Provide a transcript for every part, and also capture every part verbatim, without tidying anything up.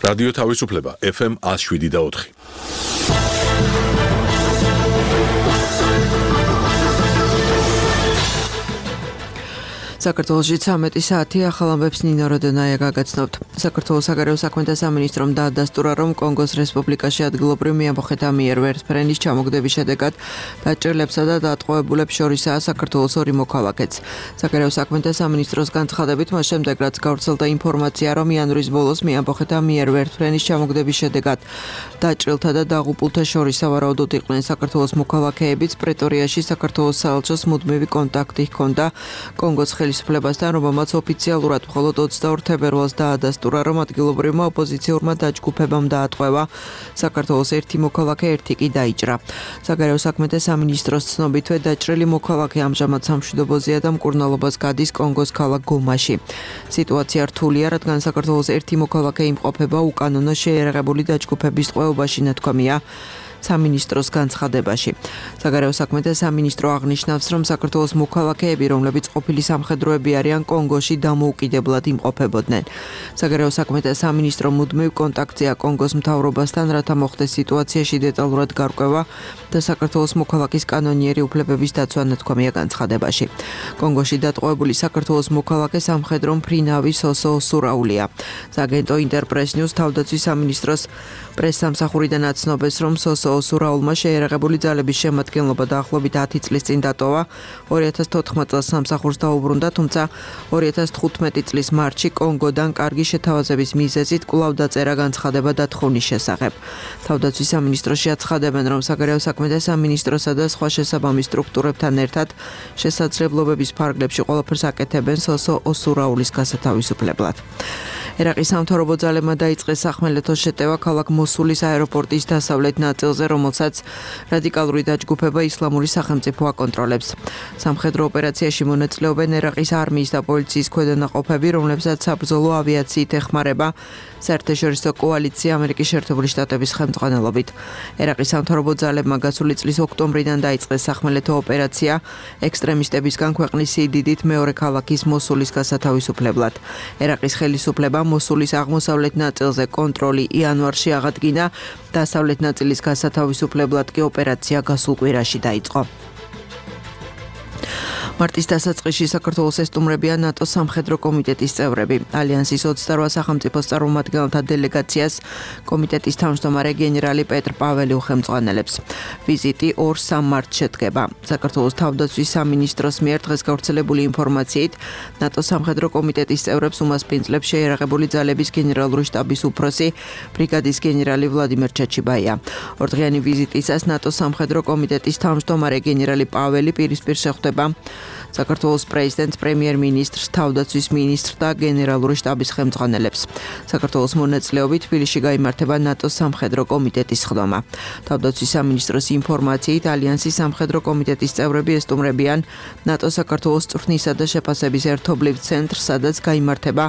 რადიო თავისუფლება ეფ ემ one oh seven და four. საქართველოში ცამეტი საათი ახალ ამბებს ნინო როდონაია გაგაცნობთ. საქართველოს საგარეო საქმეთა სამინისტრომ დაადასტურა, რომ კონგოს რესპუბლიკაში ადგილობრივ მეამბოხეთა მიერ ვერტფრენის ჩამოგდების შედეგად დაჭერლებსა და დატყვევებულებს შორისაა საქართველოს ორი მოქალაქეც. საგარეო საქმეთა სამინისტროს განცხადებით, მას შემდეგ რაც გავრცელდა ინფორმაცია, რომ იანვრის ბოლოს მეამბოხეთა მიერ ვერტფრენის ჩამოგდების შედეგად დაჭრილთა და დაღუპულთა შორის სავარაუდოდ იყვნენ საქართველოს მოქალაქეებიც, პრეტორიაში საქართველოს საელჩოს მუდმივი კონტაქტი ჰქონდა კონგოს ხელისუფლებასთან, რომელმაც ოფიციალურად მხოლოდ ოცდაორ თებერვალს დაადასტურა, რომ ადგილობრივმა ოპოზიციურმა დაჯგუფებამ დაატყვევა საქართველოს ერთი მოქალაქე, ერთი კი დაიჭრა. საგარეო საქმეთა სამინისტროს ცნობითვე დაჭრილი მოქალაქე ამჟამად სამშვიდობოზეა და მკურნალობას გადის კონგოს ქალაქ გომაში. სიტუაცია რთულია, რადგან საქართველოს ერთი მოქალაქე იმყოფება უკანონო შეიარაღებული დაჯგუფების ტყვეობაში, ნათქვამია სამინისტროს განცხადებაში. საგარეო საქმეთა სამინისტრო აღნიშნავს, რომ საქართველოს მოქალაქეები, რომლებიც ყოფილი სამხედროები არიან, კონგოში დამოუკიდებლად იმყოფებოდნენ. საგარეო საქმეთა სამინისტრო მუდმივ კონტაქტზეა კონგოს მთავრობასთან, რათა მოხდეს სიტუაციაში დეტალურად გარკვევა და საქართველოს მოქალაქის კანონიერი უფლებების დაცვა, ნათქვამია განცხადებაში. კონგოში დატყვევებული საქართველოს მოქალაქე სამხედრო მფრინავი სოსო ოსურაულია. სააგენტო ინტერპრეს ნიუს თავდაცვის სამინისტროს პრესსამსახურიდან აცნობეს, რომ სოსო ოსურაულმა შეიარაღებული ძალების შემადგენლობა დაახლოებით ათი წლის წინ დატოვა. ორი ათას თოთხმეტ წელს სამსახურს დაუბრუნდა, თუმცა ორი ათას თხუთმეტი წლის მარტში კონგოდან კარგი შეთავაზების მიზეზით კვლავ დაწერა განცხადება დათხოვნის შესახებ. თავდაცვის სამინისტროში აცხადებენ, რომ საგარეო საქმეთა სამინისტროსა და სხვა შესაბამის სტრუქტურებთან ერთად შესაძლებლობების ფარგლებში ყველაფერს აკეთებენ სოსო ოსურაულის გასათავისუფლებლად. ერაყის სამთავრობო ძალებმა დაიწყეს სახმელეთო შეტევა ქალაქ მოსულის აეროპორტის დასავლეთ ნაწილზე, რომელსაც რადიკალური დაჯგუფება ისლამური სახელმწიფო აკონტროლებს. სამხედრო ოპერაციაში მონაწილეობენ ერაყის არმიის და პოლიციის ქვედანაყოფები, რომლებსაც საბრძოლო ავიაციით ეხმარება საერთაშორისო კოალიცია ამერიკის შეერთებული შტატების ხელმძღვანელობით. ერაყის სამთავრობო ძალებმა გასული წლის ოქტომბრიდან დაიწყეს სახმელეთო ოპერაცია ექსტრემისტებისგან ქვეყნის სიდიდით მეორე ქალაქის მოსულის გასათავისუფლებლად. ერაყის ხელისუფლებამ მოსულის აღმოსავლეთ ნაწილზე კონტროლი იანვარში აღადგინა, დასავლეთ ნაწილის გასათავისუფლებლად კი ოპერაცია გასულ კვირაში დაიწყო. მარტის დასაწყისში საქართველოს ესტუმრებიან ნატოს სამხედრო კომიტეტის წევრები. ალიანსის ოცდარვა სახელმწიფოს წარმომადგენელთა დელეგაციას კომიტეტის თავმჯდომარე გენერალი პეტრ პაველი უხელმძღვანელებს. ვიზიტი ორ-სამ მარტს შედგება. საქართველოს თავდაცვის სამინისტროს მიერ დღეს გავრცელებული ინფორმაციით, ნატოს სამხედრო კომიტეტის წევრებს უმასპინძლებს შეიარაღებული ძალების გენერალური შტაბის უფროსი ბრიგადის გენერალი ვლადიმერ ჩაჩიბაია. ორდღიანი ვიზიტისას ნატოს სამხედრო კომიტეტის თავმჯდომარე გენერალი პაველი პირისპირ შეხვდება საქართველოს პრეზიდენტს, პრემიერ-მინისტრს, თავდაცვის მინისტრს და გენერალური შტაბის ხელმძღვანელებს. საქართველოს მონაწილეობით თბილისში გაიმართება ნატოს სამხედრო კომიტეტის ხდომა. თავდაცვის სამინისტროს ინფორმაციით, ალიანსის სამხედრო კომიტეტის წევრები ესტუმრებიან ნატოს საქართველოს წვრთნისა და შეფასების ერთობლივ ცენტრს, სადაც გაიმართება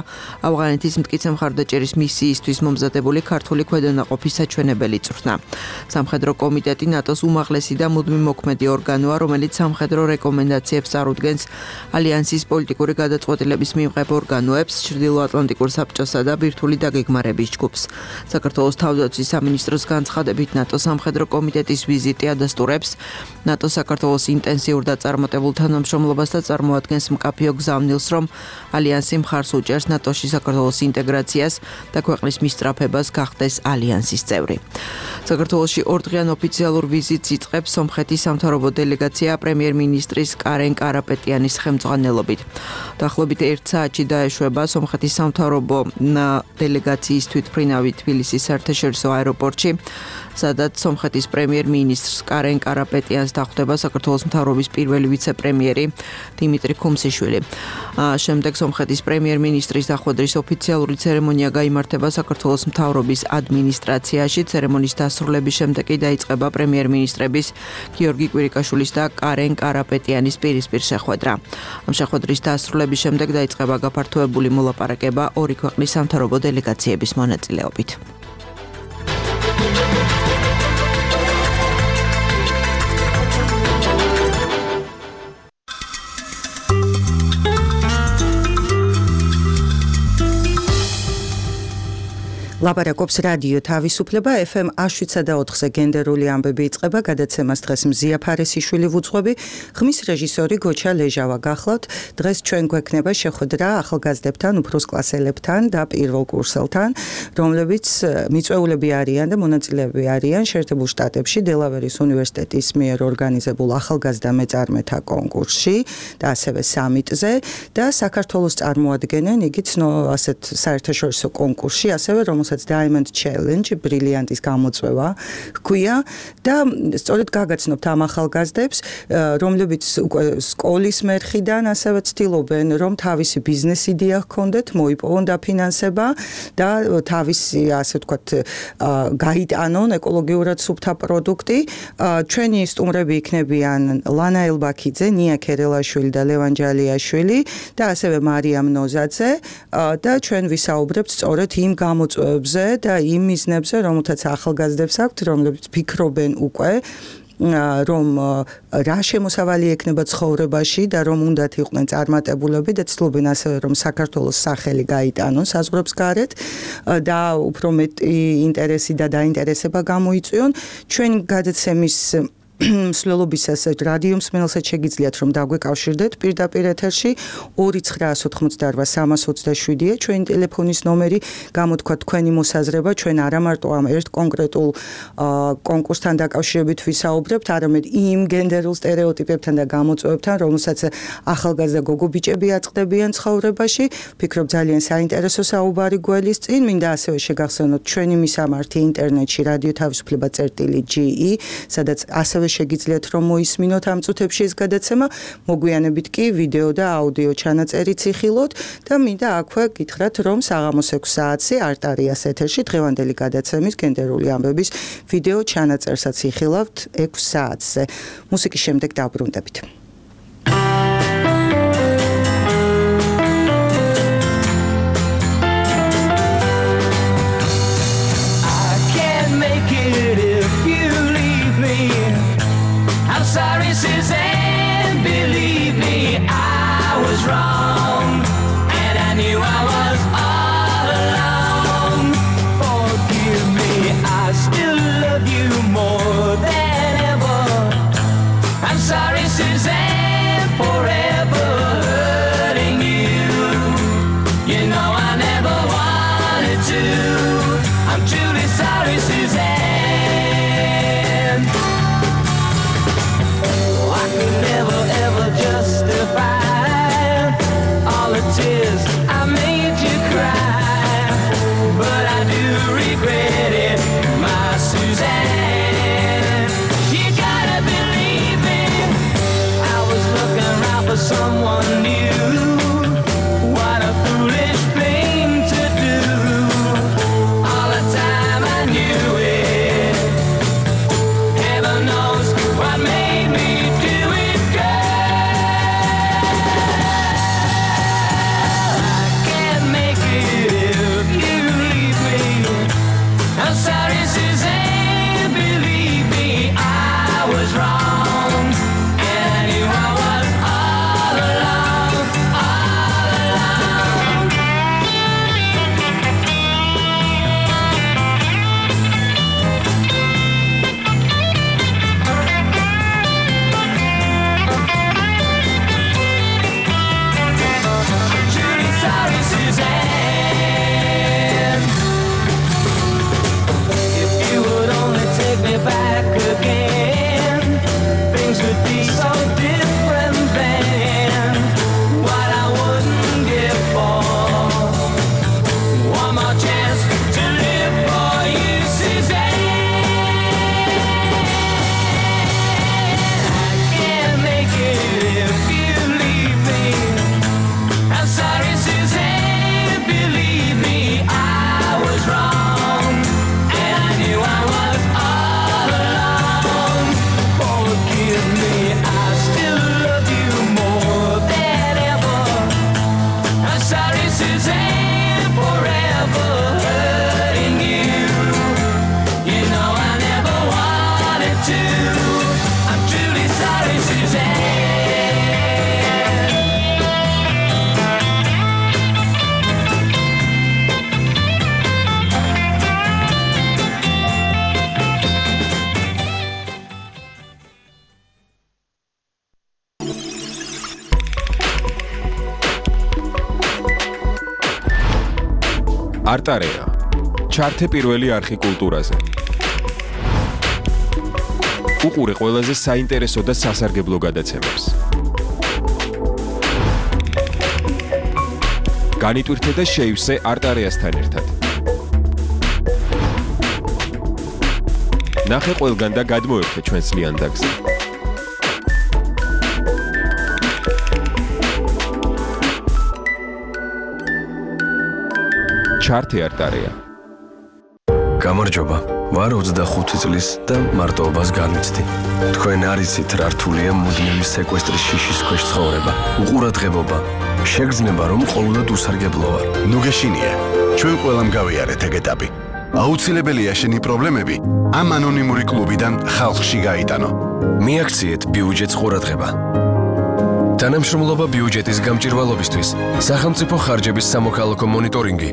ავღანეთის მტკიცე მხარდაჭერის მისიისთვის მომზადებული ქართული ქვედანაყოფის საჩვენებელი წვრთნა. სამხედრო კომიტეტი ნატოს უმაღლესი და მუდმივ მოქმედი ორგანოა, რომელიც სამხედრო რეკომენდაციებს წარუდგენს ალიანსის პოლიტიკური გადაწყვეტილების მიღებ ორგანოებს, ჩრდილოატლანტიკურ საბჭოსა და ბირთვული დაგეგმარების ჯგუფს. საქართველოს თავდაცვის სამინისტროს განცხადებით, ნატოს სამხედრო კომიტეტის ვიზიტი ადასტურებს ნატოს საქართველოს ინტენსიურ და წარმატებულ თანამშრომლობას და წარმოადგენს მკაფიო გზავნილს, რომ ალიანსი მხარს უჭერს ნატოში საქართველოს ინტეგრაციას და ქვეყნის მისწრაფებას გახდეს ალიანსის წევრი. საქართველოში ორდღიან ოფიციალურ ვიზიტს იწყებს სომხეთის სამთავრობო დელეგაცია პრემიერ-მინისტრის კარენ კარაპეტიანის ხელმძღვანელობით. დაახლოებით ერთ საათში დაეშვება სომხეთის სამთავრობო დელეგაციის თვითმფრინავი თბილისის საერთაშორისო აეროპორტში, სადაც სომხეთის პრემიერ-მინისტრს კარენ კარაპეტიანს დახვდება საქართველოს მთავრობის პირველი ვიცე-პრემიერი დიმიტრი ქუმსიშვილი. შემდეგ სომხეთის პრემიერ-მინისტრის დახვედრის ოფიციალური ცერემონია გაიმართება საქართველოს მთავრობის ადმინისტრაციაში. ცერემონიის დასრულების შემდეგ კი დაიწყება პრემიერ-მინისტრების გიორგი კვირიკაშვილის და კარენ კარაპეტიანის პირისპირ შეხვედრა. ამ შეხვედრის დასრულების შემდეგ დაიწყება გაფართოებული მოლაპარაკება ორი ქვეყნის სამთავრობო დელეგაციების მონაწილეობით. ლაპარაკობს რადიო თავისუფლება ეფ ემ შვიდსა და ოთხზე გენდერული ამბები იწყება გადაცემას დღეს მზია ფარესიშვილი ვუძღვები ხმის რეჟისორი გოჩა ლეჟავა გახლავთ დღეს ჩვენ გვექნება შეხვედრა ახალგაზრდებთან უფროს კლასელებთან და პირველ კურსელთან რომლებიც მიწვეულები არიან და მონაწილეები არიან შეერთებულ შტატებში დელავერის უნივერსიტეტის მიერ ორგანიზებულ ახალგაზრდა მეწარმეთა კონკურსში და ასევე სამიტზე და საქართველოს წარმოადგენენ იგი ცნო ასეთ საერთაშორისო კონკურსში ასევე რომ Diamond Challenge, ბრილიანტის გამოწვევა ჰქვია და სწორედ გაგაცნობთ ამ ახალგაზრდებს, რომლებიც სკოლის მერხიდან ასევე ცდილობენ, რომ თავისი ბიზნეს იდეა ჰქონდეთ, მოიპოვონ დაფინანსება და თავისი, ასე ვთქვათ, გაიტანონ ეკოლოგიურად სუფთა პროდუქტი. ჩვენი სტუმრები იქნებიან ლანა ელბაქიძე, ნია ქერელაშვილი და ლევან ჯალიაშვილი და ასევე მარიამ ნოზაძე და ჩვენ ვისაუბრებთ სწორედ იმ გამოწვევებს და იმ მიზნებზე, რომელთაც ახალგაზრდებს აქვთ, რომლებიც ფიქრობენ უკვე რომ რა შემოსავალი ექნება ცხოვრებაში და რომ უნდათ იყვნენ წარმატებულები და ცდილობენ ასევე რომ საქართველოს სახელი გაიტანონ საზღვრებს გარეთ და უფრო მეტი ინტერესი და დაინტერესება გამოიწვიონ ჩვენ გადაცემის მსვლელობისას რადიო მსმენელსაც შეგიძლიათ რომ დაგვეკავშირდეთ პირდაპირ ეთერში ორი ცხრაას ოთხმოცდაორვა სამას ოცდაშვიდია ჩვენი ტელეფონის ნომერი გამოთქვა თქვენი მოსაზრება ჩვენ არა მარტო ამ ერთ კონკრეტულ კონკურსთან დაკავშირებით ვისაუბრებთ არამედ იმ გენდერულ სტერეოტიპებთან და გამოწვევებთან რომელსაც ახალგაზრდა გოგო ბიჭები აწყდებიან ცხოვრებაში ვფიქრობ ძალიან საინტერესო საუბარი გველის წინ მინდა ასევე შეგახსენოთ ჩვენი მისამართი ინტერნეტში რადიო თავისუფლება წერტილი ჯი ი სადაც ასევე შეგიძლიათ რომ მოისმინოთ ამ წუთებში ეს გადაცემა მოგვიანებით კი ვიდეო და აუდიო ჩანაწერიც იხილოთ და მინდა აქვე გითხრათ რომ საღამოს ექვს საათზე არტარიას ეთერში დღევანდელი გადაცემის გენდერული ამბების ვიდეო ჩანაწერსაც იხილავთ ექვს საათზე მუსიკის შემდეგ დავბრუნდებით Sorry, Suzanne, believe me, I was wrong, and I knew I was all alone. Forgive me, I still love you more than ever. I'm sorry, Suzanne. არტარეა. ჩართე პირველი არხი კულტურაზე. უყურე ყველაზე საინტერესო და სასარგებლო გადაცემებს. განიტვირთე და შეივსე არტარეასთან ერთად. ნახე ყველგან და გადმოერთე ჩვენს ლიანდაგზე. ჩართე არტარეა. გამარჯობა. ვარ ოცდახუთი წლის და მარტოობას განვიცდი. თქვენ არიცით რა რთულია მუდმივი სეკვესტრის შიშის ქვეშ ცხოვრება. უყურადღებობა. შეგრძნება რომ ყოველდღე უსარგებლო ვარ. ნუ გეშინია. ჩვენ ყველამ გავიარეთ ეგ ეტაპი. აუცილებელია შენი პრობლემები ამ ანონიმური კლუბიდან ხალხში გაიტანო. მიაქციეთ ბიუჯეტს ყურადღება. თანამშრომლობა ბიუჯეტის გამჭირვალობისთვის. სახელმწიფო ხარჯების სამოქალაქო მონიტორინგი.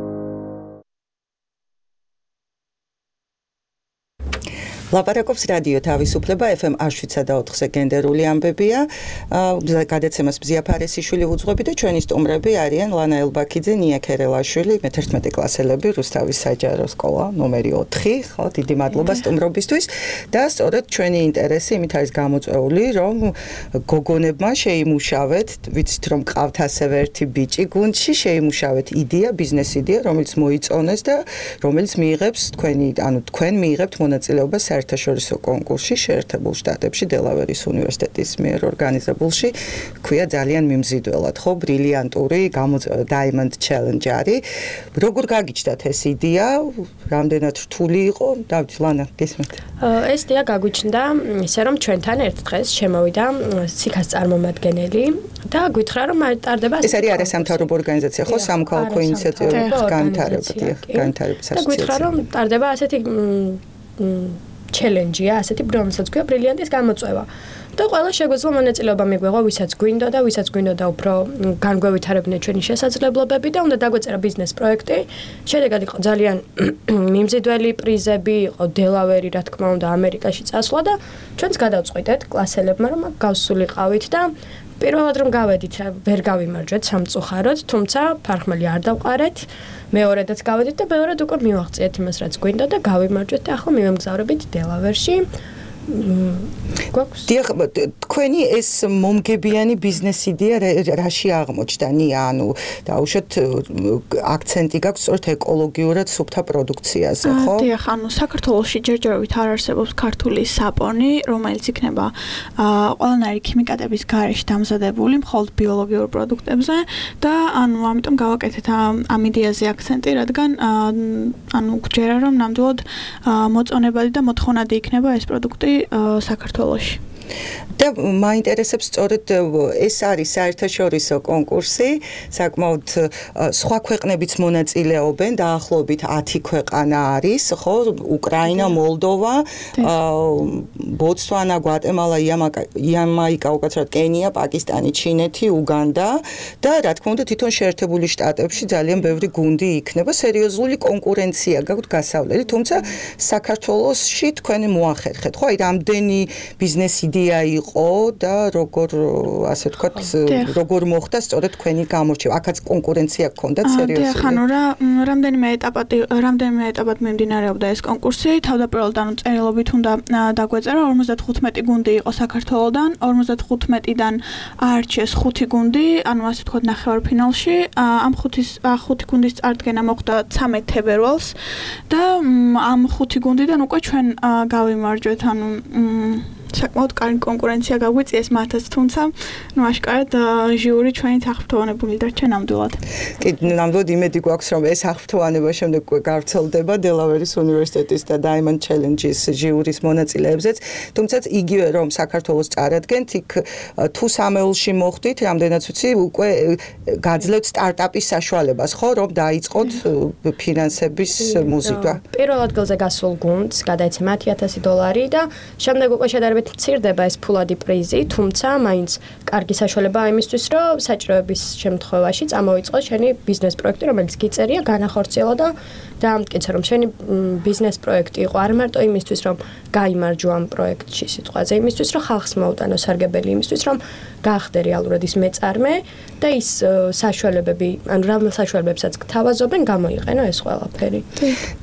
ლაპარაკობს რადიო თავისუფლება ეფ ემ შვიდსა და ოთხზე გენდერული ამბებია. გადაცემას მზია ფარესიშვილი უძღვები და ჩვენი სტუმრები არიან ლანა ელბაქიძე, ნია ქერელაშვილი, მეთერთმეტე კლასელები, რუსთავის საჯარო სკოლა ნომერი ოთხი, ხო, დიდი მადლობა სტუმრობისთვის და სწორედ ჩვენი ინტერესი იმით არის გამოწვეული, რომ გოგონებმა შეიმუშავეთ, ვიცით რომ ყავთ ასევე ერთი ბიჭი გუნდში, შეიმუშავეთ იდეა, ბიზნეს იდეა, რომელიც მოიწონეს და რომელიც მიიღებს თქვენი, ანუ თქვენ მიიღებთ მონაწილეობას საერთაშორისო კონკურსში შეერთებულ შტატებში დელავერის უნივერსიტეტის მიერ ორგანიზებულში, ქვია ძალიან მიმზიდველად, ხო, ბრილიანტური Diamond Challenge არის. როგორ გაგიჩნდათ ეს იდეა? რამდენად რთული იყო? დავით, ლანა, გესმით? ეს იდეა გაგვიჩნდა ისე რომ ჩვენთან ერთ დღეს შემოვიდა სიქას წარმომადგენელი და გითხრა რომ ტარდება ეს არის არასამთავრობო ორგანიზაცია, ხო, სამოქალაქო ინიციატივების განვითარებადი, განვითარების ასოციაცია. და გითხრა რომ ტარდება ასეთი ჩელენჯია, ასეთი რომელსაც ქვია ბრილიანტის გამოწვევა. და ყველა შეგვეძლო მონაწილეობა მიგვიღო, ვისაც გვინდა და ვისაც გვინდა და უფრო განგვევითარებინა ჩვენი შესაძლებლობები და უნდა დაგვეწერა ბიზნეს პროექტი. შედეგად იყო ძალიან მიმზიდველი პრიზები, იყო დელავერი, რა თქმა უნდა, ამერიკაში წასვლა და ჩვენც გადავწყვიტეთ კლასელებმა, რომ გავსულიყავით და პირველად რომ გავედით, ვერ გავიმარჯვეთ სამწუხაროდ, თუმცა ფარხმელი არ დავყარეთ. მეორედაც გავედით და მეორედ უკვე მივაღწიეთ იმას, რაც გვინდა და გავიმარჯვეთ და ახლა მივემგზავრებით დელავერში. დიახ, თქვენი ეს მომგებიანი ბიზნეს იდეა რაში აღმოჩნდა? ნია, ანუ დაუშვათ აქცენტი გაქვს სწორედ ეკოლოგიურად სუფთა პროდუქციაზე, ხო? დიახ, ანუ საქართველოში ჯერჯერობით არ არსებობს ქართული საპონი, რომელიც იქნება ყველანაირი ქიმიკატების გარეშე დამზადებული მხოლოდ ბიოლოგიურ პროდუქტებზე და ანუ ამიტომ გავაკეთეთ ამ იდეაზე აქცენტი, რადგან ანუ გჯერა რომ ნამდვილად მოწონებადი და მოთხოვნადი იქნება ეს პროდუქტი საქართველოში. და მაინტერესებს სწორედ ეს არის საერთაშორისო კონკურსი, საკმაოდ სხვა ქვეყნებიც მონაწილეობენ, დაახლოებით ათი ქვეყანა არის, ხო, უკრაინა, მოლდოვა, ბოტსვანა, გვატემალა, იამაიკა, უკაცრავად კენია, პაკისტანი, ჩინეთი, უგანდა და რა თქმა უნდა თვითონ შეერთებული შტატებში ძალიან ბევრი გუნდი იქნება, სერიოზული კონკურენცია გაქვთ გასავლელი, თუმცა საქართველოში თქვენ მოახერხეთ, ხო, აი რამდენი ბიზნეს იდეა იყო და როგორ ასე ვთქვათ, როგორ მოხდა სწორედ თქვენი გამორჩევა. აქაც კონკურენცია გქონდათ სერიოზული. დიახ, ანუ რა რამდენიმე ეტაპად რამდენიმე ეტაპად მიმდინარეობდა ეს კონკურსი. თავდაპირველად ანუ წერილობით უნდა დაგვეწერა ორმოცდახუთმეტი გუნდი იყო საქართველოდან, ორმოცდახუთმეტიდან აარჩიეს ხუთი გუნდი, ანუ ასე ვთქვათ ნახევარფინალში. ამ ხუთის ხუთი გუნდის წარდგენა მოხდა ცამეტ თებერვალს და ამ ხუთი გუნდიდან უკვე ჩვენ გავიმარჯვეთ, ანუ საკმაოდ კარგი კონკურენცია გაგვიწიეს მათაც, თუმცა ნუ აშკარად ჟიური ჩვენი აღფრთოვანებული დარჩა ნამდვილად. კი, ნამდვილად იმედი გვაქვს, რომ ეს აღფრთოვანება შემდეგ გავრცელდება დელავერის უნივერსიტეტის და Diamond Challenge-ის ჟიურის მონაწილეებზეც, თუმცა იგივე რომ საქართველოს წარადგენთ, იქ თუ სამეულში მოხვდით, რამდენიც ვიცი, უკვე გაძლევთ სტარტაპის საშუალებას, ხო, რომ დაიწყოთ ფინანსების მოზიდვა. პირველ ადგილზე გასულ გუნდს გადაეცა ათი ათასი დოლარი და შემდეგ უკვე შედარებით ობით მცირდება ეს ფულადი პრიზი, თუმცა მაინც კარგი საშუალებაა იმისთვის, რომ საჭიროების შემთხვევაში წამოიწყოს შენი ბიზნეს პროექტი, რომელიც გიწერია, განახორციელა და დაამტკიცე, რომ შენი ბიზნეს პროექტი იყო არ მარტო იმისთვის, რომ გაიმარჯვა ამ პროექტში სიტყვაზე, იმისთვის, რომ ხალხს მოუტანო სარგებელი, იმისთვის, რომ გახდე რეალურად ის მეწარმე და ის საშუალებები, ანუ რამე საშუალებებსაც გთავაზობენ, გამოიყენო ეს ყველაფერი.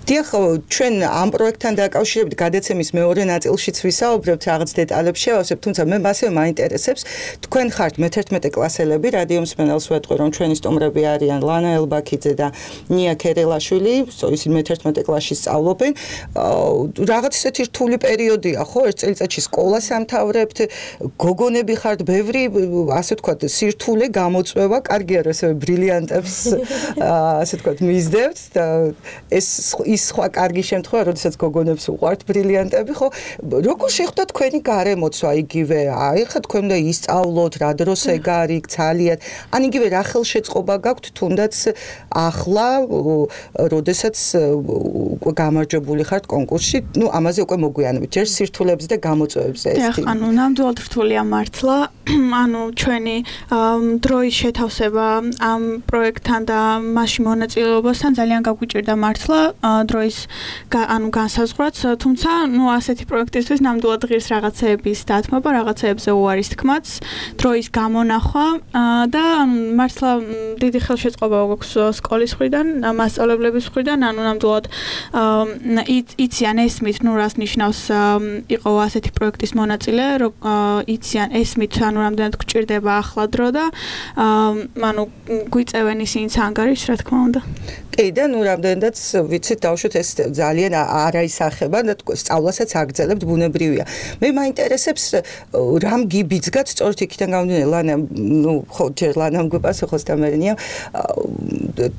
დიახ, ჩვენ ამ პროექტთან დაკავშირებით გადაცემის მეორე ნაწილშიც ვისაუბრებთ, რაღაც დეტალებს შევავსებთ, თუმცა მე მასე მაინტერესებს, თქვენ ხართ მეთერთმეტე კლასელები, რადიო მსმენელს ვეტყვი, რომ ჩვენი სტუმრები არიან ლანა ელბაქიძე და ნია ქერელაშვილი, ისინი მეთერთმეტე კლასში სწავლობენ. რაღაც ისეთი რთული პერიოდია, ხო, ერთ წელიწადში სკოლას ამთავრებთ, გოგონები ხართ, ბევრი, ასე ვთქვათ, სირთულე გამოწვევა, კარგია, რომ ესე ბრილიანტებს, ასე ვთქვათ, მისდევთ და ეს ის სხვა კარგი შემთხვევა, როდესაც გოგონებს უყვართ ბრილიანტები, ხო? როგორ შეხვდა თქვენი გარემოცვა იგივე? აი, ხა თქვენ უნდა ისწავლოთ, რა დროს ეგარი, ძალიან. ან იგივე რა ხელშეწყობა გაქვთ თუნდაც ახლა, როდესაც უკვე გამარჯვებული ხართ კონკურსში, ну, ამაზე უკვე მოგვიანებით, ჯერ სირთულეებზე და გამოწვევებზე ეს თემა. ანუ ნამდვილად რთულია მართლა, ანუ ჩვენი დროის შეთავსება ამ პროექტთან და მასში მონაწილეობასთან ძალიან გაგვიჭირდა მართლა დროის ანუ განსაზღვრაც, თუმცა ნუ ასეთი პროექტისთვის ნამდვილად ღირს რაღაცეების დათმობა, რაღაცეებზე უარის თქმაც, დროის გამონახვა და მართლა დიდი ხელშეწყობა გვაქვს სკოლის მხრიდან, მასწავლებლების მხრიდან, ანუ ნამდვილად იციან ესმით, ნუ რას ნიშნავს იყო ასეთი პროექტის მონაწილე, რომ იციან ესმით, ანუ რამდენად გვჭირდება ახლა დრო და ანუ გვიწევენ ისინიც ანგარიშს, რა თქმა უნდა. კი და ნუ რამდენადაც ვიცით დავუშვათ ეს ძალიან არაისახება და სწავლასაც აგრძელებთ ბუნებრივია. მე მაინტერესებს რამ გიბიძგათ სწორედ იქიდან გამომდინარე ლანა ნუ ხო ჯერ ლანამ გვიპასუხოს და მერენია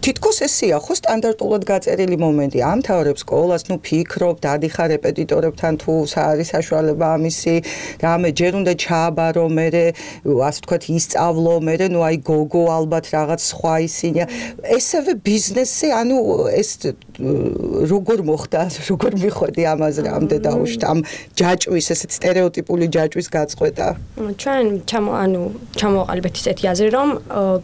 თითქოს ესია ხო სტანდარტულად გაწერილი მომენტი ამთავრებ სკოლას ნუ ფიქრობ დადიხარ რეპეტიტორებთან თუ არის საშუალება ამისი რამე ჯერ უნდა ჩააბარო მე ასე ვთქვათ ისწავლო მე ნუ აი გოგო ალბათ რაღაც სხვა ისინია ესევე ბიზნესი ანუ ეს როგორ მოხდა როგორ მიხვედი ამაზე რამდენ დაუშვით ამ ჯაჭვის ესეთ სტერეოტიპული ჯაჭვის გაწყვეტა ჩვენ ჩამო ანუ ჩამოვაყალიბეთ ისეთი აზრი რომ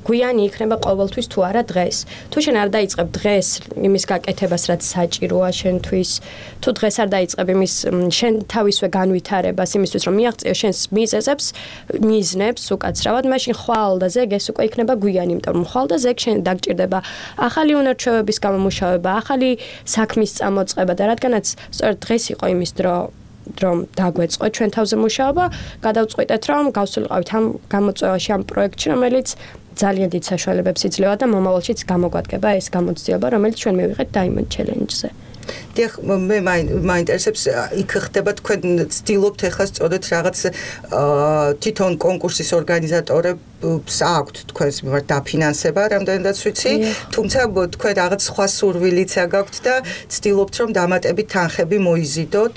გვიანი იქნება ყოველთვის თუ არა დღეს თუ შენ არ დაიწყებ დღეს იმის გაკეთებას რაც საჭიროა შენთვის თუ დღეს არ დაიწყებ იმის შენ თავისვე განვითარებას იმისთვის რომ მიაღწიო შენს მიზეზებს მიზნებს უკაცრავად მაშინ ხვალ და ზეგ ეს უკვე იქნება გვიანი იმიტომ რომ ხვალ და ზეგ შენ დაგჭირდება ახალი უნარჩვევების გამომუშავება ახალი საქმის წამოწყება და რადგანაც სწორედ დღეს იყო იმის დრო რომ დაგვეწყოთ ჩვენ თავზე მუშაობა, გადავწყვიტეთ რომ გავსულიყავით ამ გამოწვევაში ამ პროექტში, რომელიც ძალიან დიდ საშუალებებს იძლევა და მომავალშიც გამოგვადგება ეს გამოცდილება, რომელიც ჩვენ მივიღეთ Diamond Challenge-ზე. დიახ, მე მაინტერესებს იქ ხდება თქვენ ცდილობთ ახლა სწორედ რაღაც თვითონ კონკურსის ორგანიზატორებს აქვთ თქვენს მიმართ დაფინანსება, რამდენადაც ვიცი, თუმცა თქვენ რაღაც სხვა სურვილიც გაქვთ და ცდილობთ რომ დამატებით თანხები მოიზიდოთ,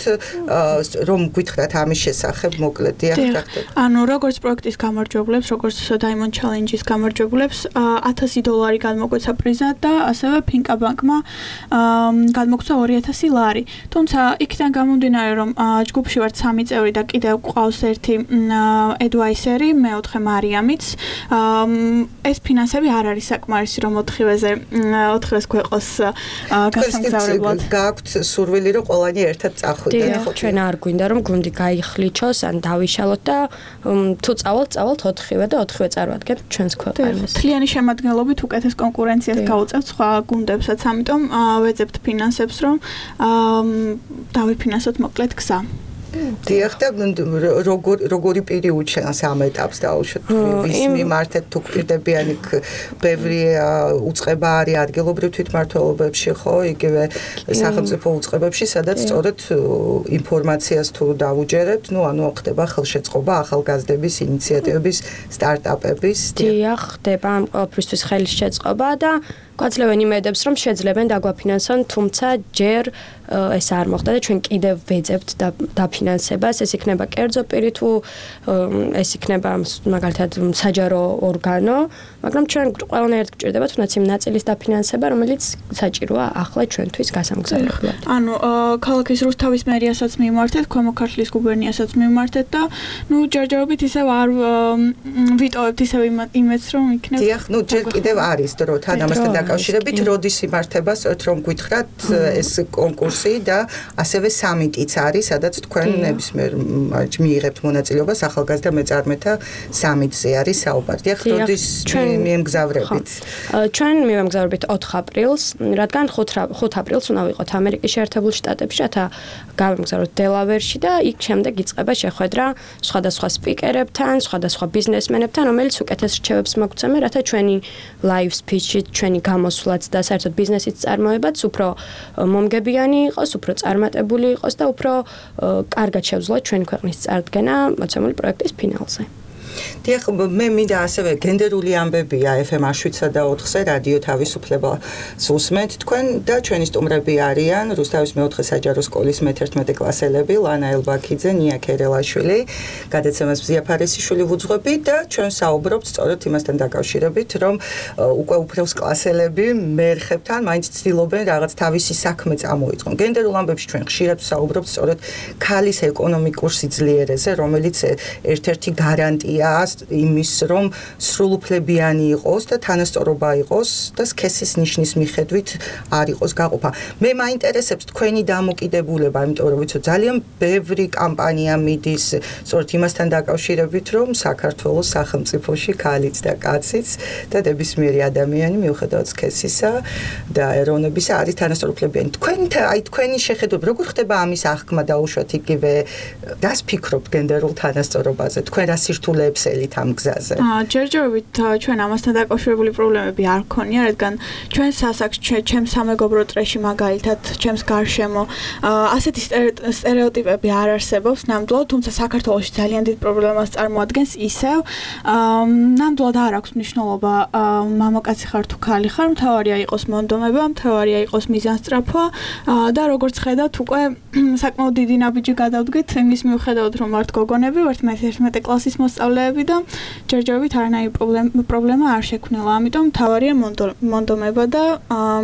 რომ გითხრათ ამის შესახებ მოკლედ, დიახ, რა ხდება. ანუ როგორც პროექტის გამარჯვებლებს, როგორც Diamond Challenge-ის გამარჯვებლებს ათასი დოლარი გადმოგვეცა პრიზად და ასევე Finca Bank-მა გადმოგცა ორი ათასი ლარი. თუმცა იქიდან გამომდინარე რომ ჯგუფში ვართ სამი წევრი და კიდევ გვყავს ერთი advisor-ი, მეოთხე მარიამიც. ეს ფინანსები არ არის საკმარისი რომ ოთხივეზე ოთხივეს გვეყოს გასამგზავრებლად. გაქვთ სურვილი რომ ყველანი ერთად წახვიდეთ, ხო? ჩვენ არ გვინდა რომ გუნდი გაიხლიჩოს ან დავიშალოთ და თუ წავალთ, წავალთ ოთხივე და ოთხივე წარვადგეთ ჩვენს ქვეყანას. თლიანი შემადგენლობით უკეთეს კონკურენციას გავუწევთ სხვა გუნდებსაც, ამიტომ ვეძებთ ფინანსებს რომ დავიფინანსოთ მოკლედ გზა. დიახ და როგორ როგორი პირი უჩენს ამ ეტაპს დაუშვათ ვის მიმართეთ თუ პირდებიანი ბევრი უწყება არის ადგილობრივ თვითმმართველობებში ხო იგივე სახელმწიფო უწყებებში სადაც სწორედ ინფორმაციას თუ დავუჯერებთ ნუ ანუ ხდება ხელშეწყობა ახალგაზრდების ინიციატივების სტარტაპების დიახ ხდება ამ ყველაფრისთვის ხელშეწყობა და გვაძლევენ იმედებს, რომ შეძლებენ დაგვაფინანსონ, თუმცა ჯერ ეს არ მოხდა და ჩვენ კიდევ ვეძებთ დაფინანსებას. ეს იქნება კერძო პირი თუ ეს იქნება მაგალითად საჯარო ორგანო, მაგრამ ჩვენ ყველანაირად გვჭირდება თუნდაც იმ ნაწილის დაფინანსება, რომელიც საჭიროა ახლა ჩვენთვის გასამგზავრებლად. ანუ ქალაქის რუსთავის მერიასაც მიმართეთ, ქვემო ქართლის გუბერნიასაც მიმართეთ და ნუ ჯერჯერობით ისევ არ ვიტოვებთ ისევ იმედს, რომ იქნება. დიახ, ნუ ჯერ კიდევ არის დრო თან ამასთან დაკავშირებით, როდის იმართება, სწორედ რომ გითხრათ ეს კონკურსი და ასევე სამიტიც არის, სადაც თქვენ ნებისმიერ მიიღებთ მონაწილეობას ახალგაზრდა მეწარმეთა სამიტზე არის საუბარი. დიახ, როდის მიემგზავრებით? ჩვენ მივემგზავრებით ოთხ აპრილს, რადგან ხუთ აპრილს უნდა ვიყოთ ამერიკის შეერთებულ შტატებში, რათა გავემგზავროთ დელავერში და იქ შემდეგ იწყება შეხვედრა სხვადასხვა სპიკერებთან, სხვადასხვა ბიზნესმენებთან, რომელიც უკეთეს რჩევებს მოგცემენ, რათა ჩვენი live speech-ი, ჩვენი გამოსვლაც და საერთოდ ბიზნესის წარმოებაც უფრო მომგებიანი იყოს, უფრო წარმატებული იყოს და უფრო კარგად შევძლოთ ჩვენი ქვეყნის წარდგენა მოცემული პროექტის ფინალზე. დიახ, მე მინდა ასევე გენდერული ამბებია ეფ ემ შვიდსა და ოთხზე რადიო თავისუფლებას უსმენთ თქვენ და ჩვენი სტუმრები არიან რუსთავის მეოთხე საჯარო სკოლის მეთერთმეტე კლასელები ლანა ელბაქიძე, ნია ქერელაშვილი, გადაცემას მზია ფარესიშვილი ვუძღვები და ჩვენ საუბრობთ სწორედ იმასთან დაკავშირებით, რომ უკვე უფროს კლასელები მერხებთან მაინც ცდილობენ რაღაც თავისი საქმე წამოიწყონ. გენდერულ ამბებში ჩვენ ხშირად საუბრობთ სწორედ ქალის ეკონომიკურ სიძლიერეზე, რომელიც ერთ-ერთი გარანტია იმის, რომ სრულუფლებიანი იყოს და თანასწორობა იყოს და სქესის ნიშნის მიხედვით არ იყოს გაყოფა. მე მაინტერესებს თქვენი დამოკიდებულება, იმიტომ რომ ვიცი ძალიან ბევრი კამპანია მიდის სწორედ იმასთან დაკავშირებით, რომ საქართველოს სახელმწიფოში ქალიც და კაციც და ნებისმიერი ადამიანი მიუხედავად სქესისა და ეროვნებისა არის თანასწორუფლებიანი. თქვენ აი თქვენი შეხედულება როგორ ხდება ამის აღქმა დაუშვათ იგივე რას ფიქრობთ გენდერულ თანასწორობაზე? თქვენ რა სირთულეებს ელით ამ გზაზე. ჯერჯერობით ჩვენ ამასთან დაკავშირებული პრობლემები არ გქონია, რადგან ჩვენ სასაკს ჩემს სამეგობრო წრეში მაგალითად ჩემს გარშემო ასეთი სტერეოტიპები არ არსებობს ნამდვილად, თუმცა საქართველოში ძალიან დიდ პრობლემას წარმოადგენს ისევ. ნამდვილად არ აქვს მნიშვნელობა მამაკაცი ხარ თუ ქალი ხარ, მთავარია იყოს მონდომება, მთავარია იყოს მიზანსწრაფვა და როგორც ხედავთ უკვე საკმაოდ დიდი ნაბიჯი გადავდგეთ იმის მიუხედავად რომ ვართ გოგონები, ვართ მეთერთმეტე კლასის მოსწავლეები და ჯერჯერობით არანაირი პრობლემა არ შექმნილა. ამიტომ მთავარია მონდომება და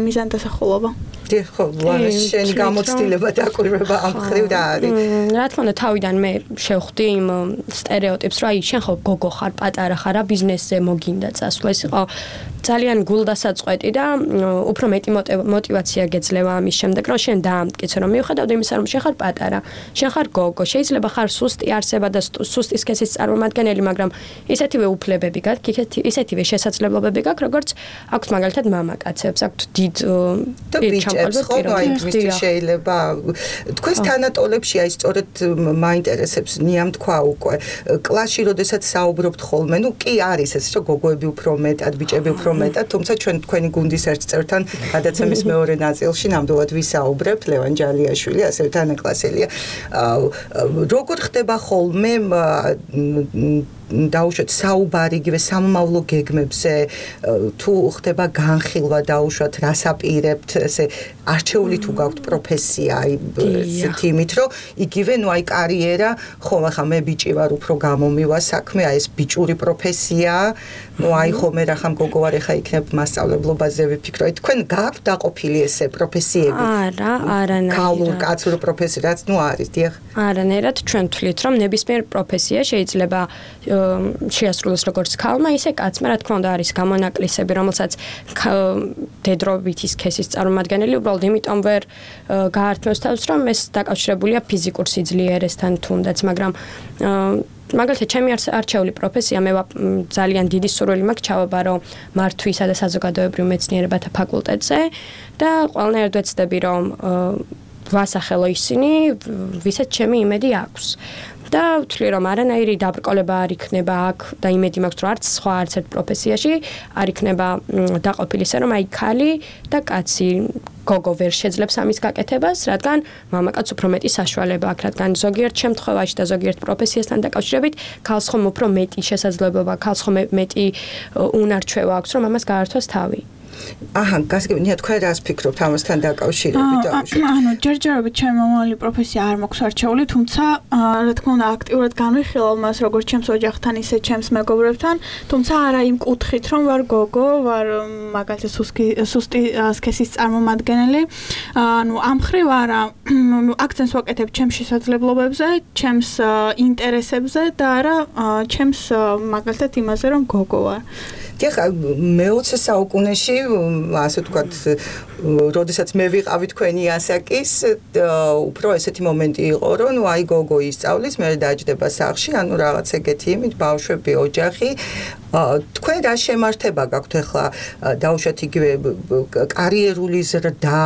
მიზანდასახულობა. დიახ, ხო, ლანა, შენი გამოცდილება დაკვირვება ამ ხრივ და არის. რა თქმა უნდა, თავიდან მე შევხვდი იმ სტერეოტიპს, რომ აი შენ ხო გოგო ხარ, პატარა ხარ, რა ბიზნესზე მოგინდა წასვლა. ეს იყო ძალიან გულდასაწყვეტი და უფრო მეტი мотиваცია გეძლევა ამის შემდეგ, რომ შენ დაამტკიცო, რომ მიუხედავად იმისა, რომ შენ ხარ პატარა, შენ ხარ გოგო, შეიძლება ხარ სუსტი არსება და სუსტი სქესის წარმომადგენელი, მაგრამ ისეთივე უფლებები გაქვს, ისეთივე შესაძლებლობები გაქვს, როგორც აქვს მაგალითად მამაკაცებს, აქვს დიდ ბიჭებს, ხო, აი მისთვის შეიძლება თქვენს თანატოლებში აი სწორედ მაინტერესებს ნიამ თქვა უკვე კლასში როდესაც საუბრობთ ხოლმე, ნუ კი არის ეს, რომ გოგოები უფრო მეტად, ბიჭები უფრო მეტად, თუმცა ჩვენ თქვენი გუნდის ერთ წევრთან გადაცემის მეორე ნაწილში ნამდვილად ვისაუბრებთ, ლევან ჯალიაშვილი, ასევე თანაკლასელია. როგორ ხდება ხოლმე დაუშვათ საუბარი იგივე სამომავლო გეგმებზე, თუ ხდება განხილვა დაუშვათ რას აპირებთ, ესე არჩეული თუ გაქვთ პროფესია, აი ესეთი იმით, რომ იგივე ნუ აი კარიერა, ხო, ახლა მე ბიჭი ვარ, უფრო გამომივა საქმე, აი ეს ბიჭური პროფესია, ნუ აი ხო მე რახან გოგო ვარ, ახლა იქნებ მასწავლებლობაზე ვიფიქრო. აი თქვენ გაქვთ დაყოფილი ესე პროფესიები? არა, არანაირად. ქალურ კაცურ პროფესია, რაც ნუ არის, დიახ. არანაირად ჩვენ თვლით, რომ ნებისმიერ პროფესია შეიძლება შეასრულოს როგორც ქალმა, ისე კაცმა, რა თქმა უნდა, არის გამონაკლისები, რომელსაც დედრობითი სქესის წარმომადგენელი უბრალოდ იმიტომ ვერ გაართმევს თავს, რომ ეს დაკავშირებულია ფიზიკურ სიძლიერესთან თუნდაც, მაგრამ მაგალითად, ჩემი არჩეული პროფესია, მე ძალიან დიდი სურვილი მაქვს ჩავაბარო მართვისა და საზოგადოებრივ მეცნიერებათა ფაკულტეტზე და ყველანაირად ვეცდები, რომ ვასახელო ისინი, ვისაც ჩემი იმედი აქვს. და ვთვლი, რომ არანაირი დაბრკოლება არ იქნება აქ და იმედი მაქვს, რომ არც სხვა არც ერთ პროფესიაში არ იქნება დაყოფილი ისე, რომ აი ქალი და კაცი გოგო ვერ შეძლებს ამის გაკეთებას, რადგან მამაკაც უფრო მეტი საშუალება აქვს, რადგან ზოგიერთ შემთხვევაში და ზოგიერთ პროფესიასთან დაკავშირებით ქალს ხომ უფრო მეტი შესაძლებლობა, ქალს ხომ მეტი უნარჩვევა აქვს, რომ ამას გაართვას თავი. აჰა, გასაგებია, თქვენ რას ფიქრობთ ამასთან დაკავშირებით? ანუ ჯერჯერობით ჩემი მომავალი პროფესია არ მაქვს არჩეული, თუმცა რა თქმა უნდა აქტიურად განვიხილავ მას როგორც ჩემს ოჯახთან, ისე ჩემს მეგობრებთან, თუმცა არა იმ კუთხით, რომ ვარ გოგო, ვარ მაგალითად სუსტი სქესის წარმომადგენელი. ანუ ამ მხრივ არა, აქცენტს ვაკეთებ ჩემს შესაძლებლობებზე, ჩემს ინტერესებზე და არა ჩემს მაგალითად იმაზე, რომ გოგო ვარ. დიახ, მეოცე საუკუნეში, ასე ვთქვათ, როდესაც მე ვიყავი თქვენი ასაკის, უფრო ესეთი მომენტი იყო, რომ ნუ აი გოგო ისწავლის, მე დაჯდება სახლში, ანუ რაღაც ეგეთი იმით, ბავშვები, ოჯახი. თქვენ რა შემართება გაქვთ ახლა დაუშვათ იგივე კარიერული ზრდა,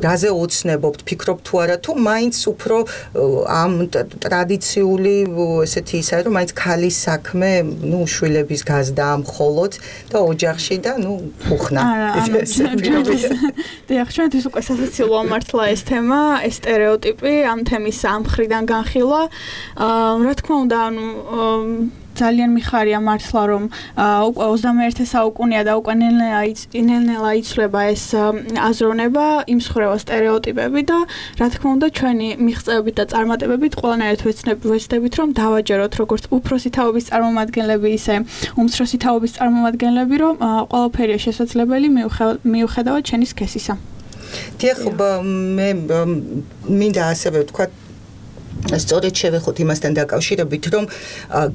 რაზე ოცნებობთ, ფიქრობთ თუ არა, თუ მაინც უფრო ამ ტრადიციული ესეთი ისაა, რომ მაინც ქალის საქმე, ნუ შვილების გაზდა მხოლოდ და ოჯახში და ნუ უხნა. დიახ, ჩვენთვის უკვე სასაცილოა მართლა ეს თემა, ეს სტერეოტიპი, ამ თემის ამ მხრიდან განხილვა. რა თქმა უნდა, ანუ ძალიან მიხარია მართლა რომ უკვე ოცდამეერთე საუკუნეა და უკვე ნელ-ნელა იცვლება ეს აზროვნება, იმსხვრევა სტერეოტიპები და რა თქმა უნდა ჩვენი მიღწევებით და წარმატებებით ყველანაირად ვეცდებით რომ დავაჯეროთ როგორც უფროსი თაობის წარმომადგენლები, ისე უმცროსი თაობის წარმომადგენლები, რომ ყველაფერია შესაძლებელი მიუხედავად ჩვენი სქესისა. დიახ, მე მინდა ასევე ვთქვათ სწორედ შევეხოთ იმასთან დაკავშირებით, რომ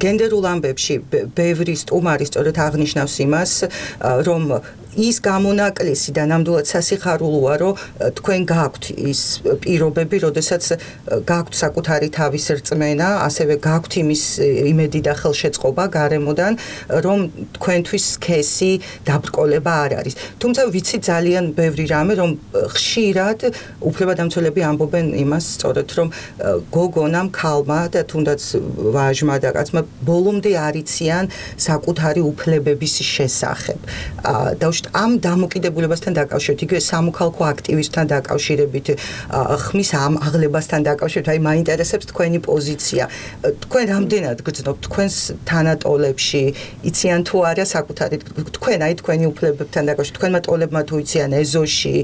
გენდერულ ამბებში ბევრი სტუმარი სწორედ აღნიშნავს იმას, რომ ის გამონაკლისი და ნამდვილად სასიხარულოა, რომ თქვენ გაქვთ ის პირობები, როდესაც გაქვთ საკუთარი თავის რწმენა, ასევე გაქვთ იმის იმედი და ხელშეწყობა გარემოდან, რომ თქვენთვის სქესი დაბრკოლება არ არის. თუმცა ვიცი ძალიან ბევრი რამე, რომ ხშირად უფლებადამცველები ამბობენ იმას სწორედ, რომ გოგონამ, ქალმა და თუნდაც ვაჟმა და კაცმა ბოლომდე არ იციან საკუთარი უფლებების შესახებ. და ამ დამოკიდებულებასთან დაკავშირებით, იგივე სამოქალაქო აქტივისტთან დაკავშირებით, ხმის ამ აღლებასთან დაკავშირებით, აი მაინტერესებს თქვენი პოზიცია. თქვენ რამდენად გრძნობთ თქვენს თანატოლებში, იციან თუ არა საკუთარი თქვენ აი თქვენი უფლებებთან დაკავშირებით, თქვენმა ტოლებმა თუ იციან ეზოში,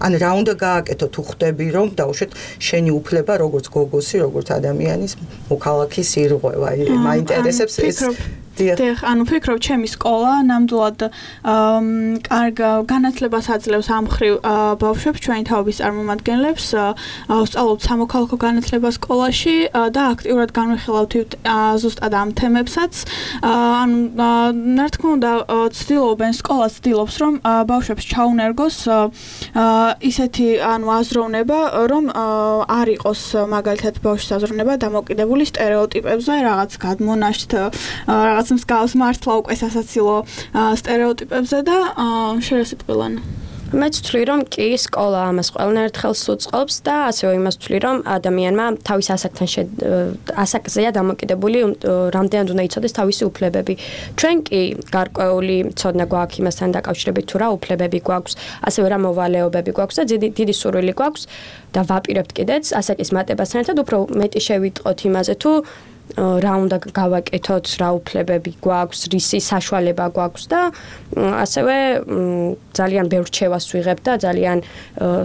ან რა უნდა გააკეთოთ თუ ხვდები რომ დაუშვათ შენი უფლება როგორც გოგოსი, როგორც ადამიანის მოქალაქის ირღვევა. აი მაინტერესებს ეს დიახ, ანუ ფიქრობ, ჩემი სკოლა ნამდვილად კარგ განათლებას აძლევს ამ მხრივ ბავშვებს, ჩვენი თაობის წარმომადგენლებს, ვსწავლობთ სამოქალაქო განათლება სკოლაში და აქტიურად განვიხილავთ ზუსტად ამ თემებსაც. ანუ რა თქმა უნდა, ცდილობენ, სკოლა ცდილობს, რომ ბავშვებს ჩაუნერგოს ისეთი ანუ აზროვნება, რომ არ იყოს მაგალითად ბავშვის აზროვნება დამოკიდებული სტერეოტიპებზე, რაღაც გადმონაშთ, რაღაც მსგავს მართლა უკვე სასაცილო სტერეოტიპებზე და შერასიტყვილან. მეც ვთვლი, რომ კი სკოლა ამას ყველანაირად ხელს უწყობს და ასევე იმას ვთვლი, რომ ადამიანმა თავის ასაკთან ასაკზეა დამოკიდებული რამდენად უნდა იცოდეს თავისი უფლებები. ჩვენ კი გარკვეული ცოდნა გვაქვს იმასთან დაკავშირებით, თუ რა უფლებები გვაქვს, ასევე რა მოვალეობები გვაქვს და დიდი სურვილი გვაქვს და ვაპირებთ კიდეც ასაკის მატებასთან ერთად უფრო მეტი შევიტყოთ იმაზე, თუ რა უნდა გავაკეთოთ, რა უფლებები გვაქვს, რისი საშუალება გვაქვს და ასევე ძალიან ბევრ რჩევას ვიღებ და ძალიან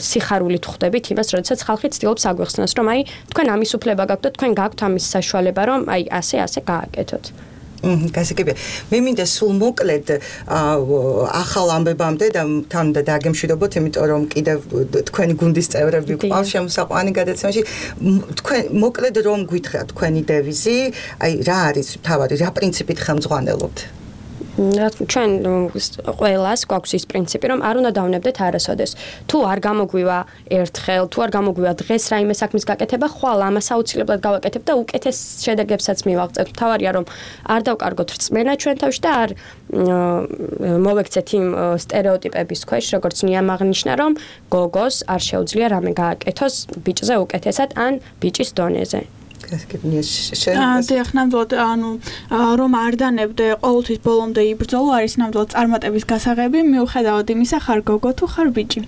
სიხარულით ხვდებით იმას, როდესაც ხალხი ცდილობს აგვეხსნას, რომ აი თქვენ ამის უფლება გაქვთ და თქვენ გაქვთ ამის საშუალება, რომ აი ასე ასე გააკეთოთ. გასაგებია. მე მინდა სულ მოკლედ ახალ ამბებამდე და თან და დაგემშვიდობოთ, იმიტომ რომ კიდევ თქვენი გუნდის წევრები ყავს შემოსაყვანი გადაცემაში. თქვენ მოკლედ რომ გითხრათ თქვენი დევიზი, აი რა არის თავარი, რა პრინციპით ხელმძღვანელობთ? ჩვენ ყველას გვაქვს ის პრინციპი, რომ არ უნდა დავნებდეთ არასოდეს. თუ არ გამოგვივა ერთხელ, თუ არ გამოგვივა დღეს რაიმე საქმის გაკეთება, ხვალ ამას აუცილებლად გავაკეთებ და უკეთეს შედეგებსაც მივაღწევთ. თავარია რომ არ დავკარგოთ რწმენა ჩვენ თავში და არ მოვექცეთ იმ სტერეოტიპების ქვეშ, როგორც ნიამ აღნიშნა, რომ გოგოს არ შეუძლია რამე გააკეთოს ბიჭზე უკეთესად ან ბიჭის დონეზე. დიახ, ნამდვილად, ანუ რომ არ დანებდე ყოველთვის ბოლომდე იბრძოლო არის ნამდვილად წარმატების გასაღები, მიუხედავად იმისა, ხარ გოგო თუ ხარ ბიჭი.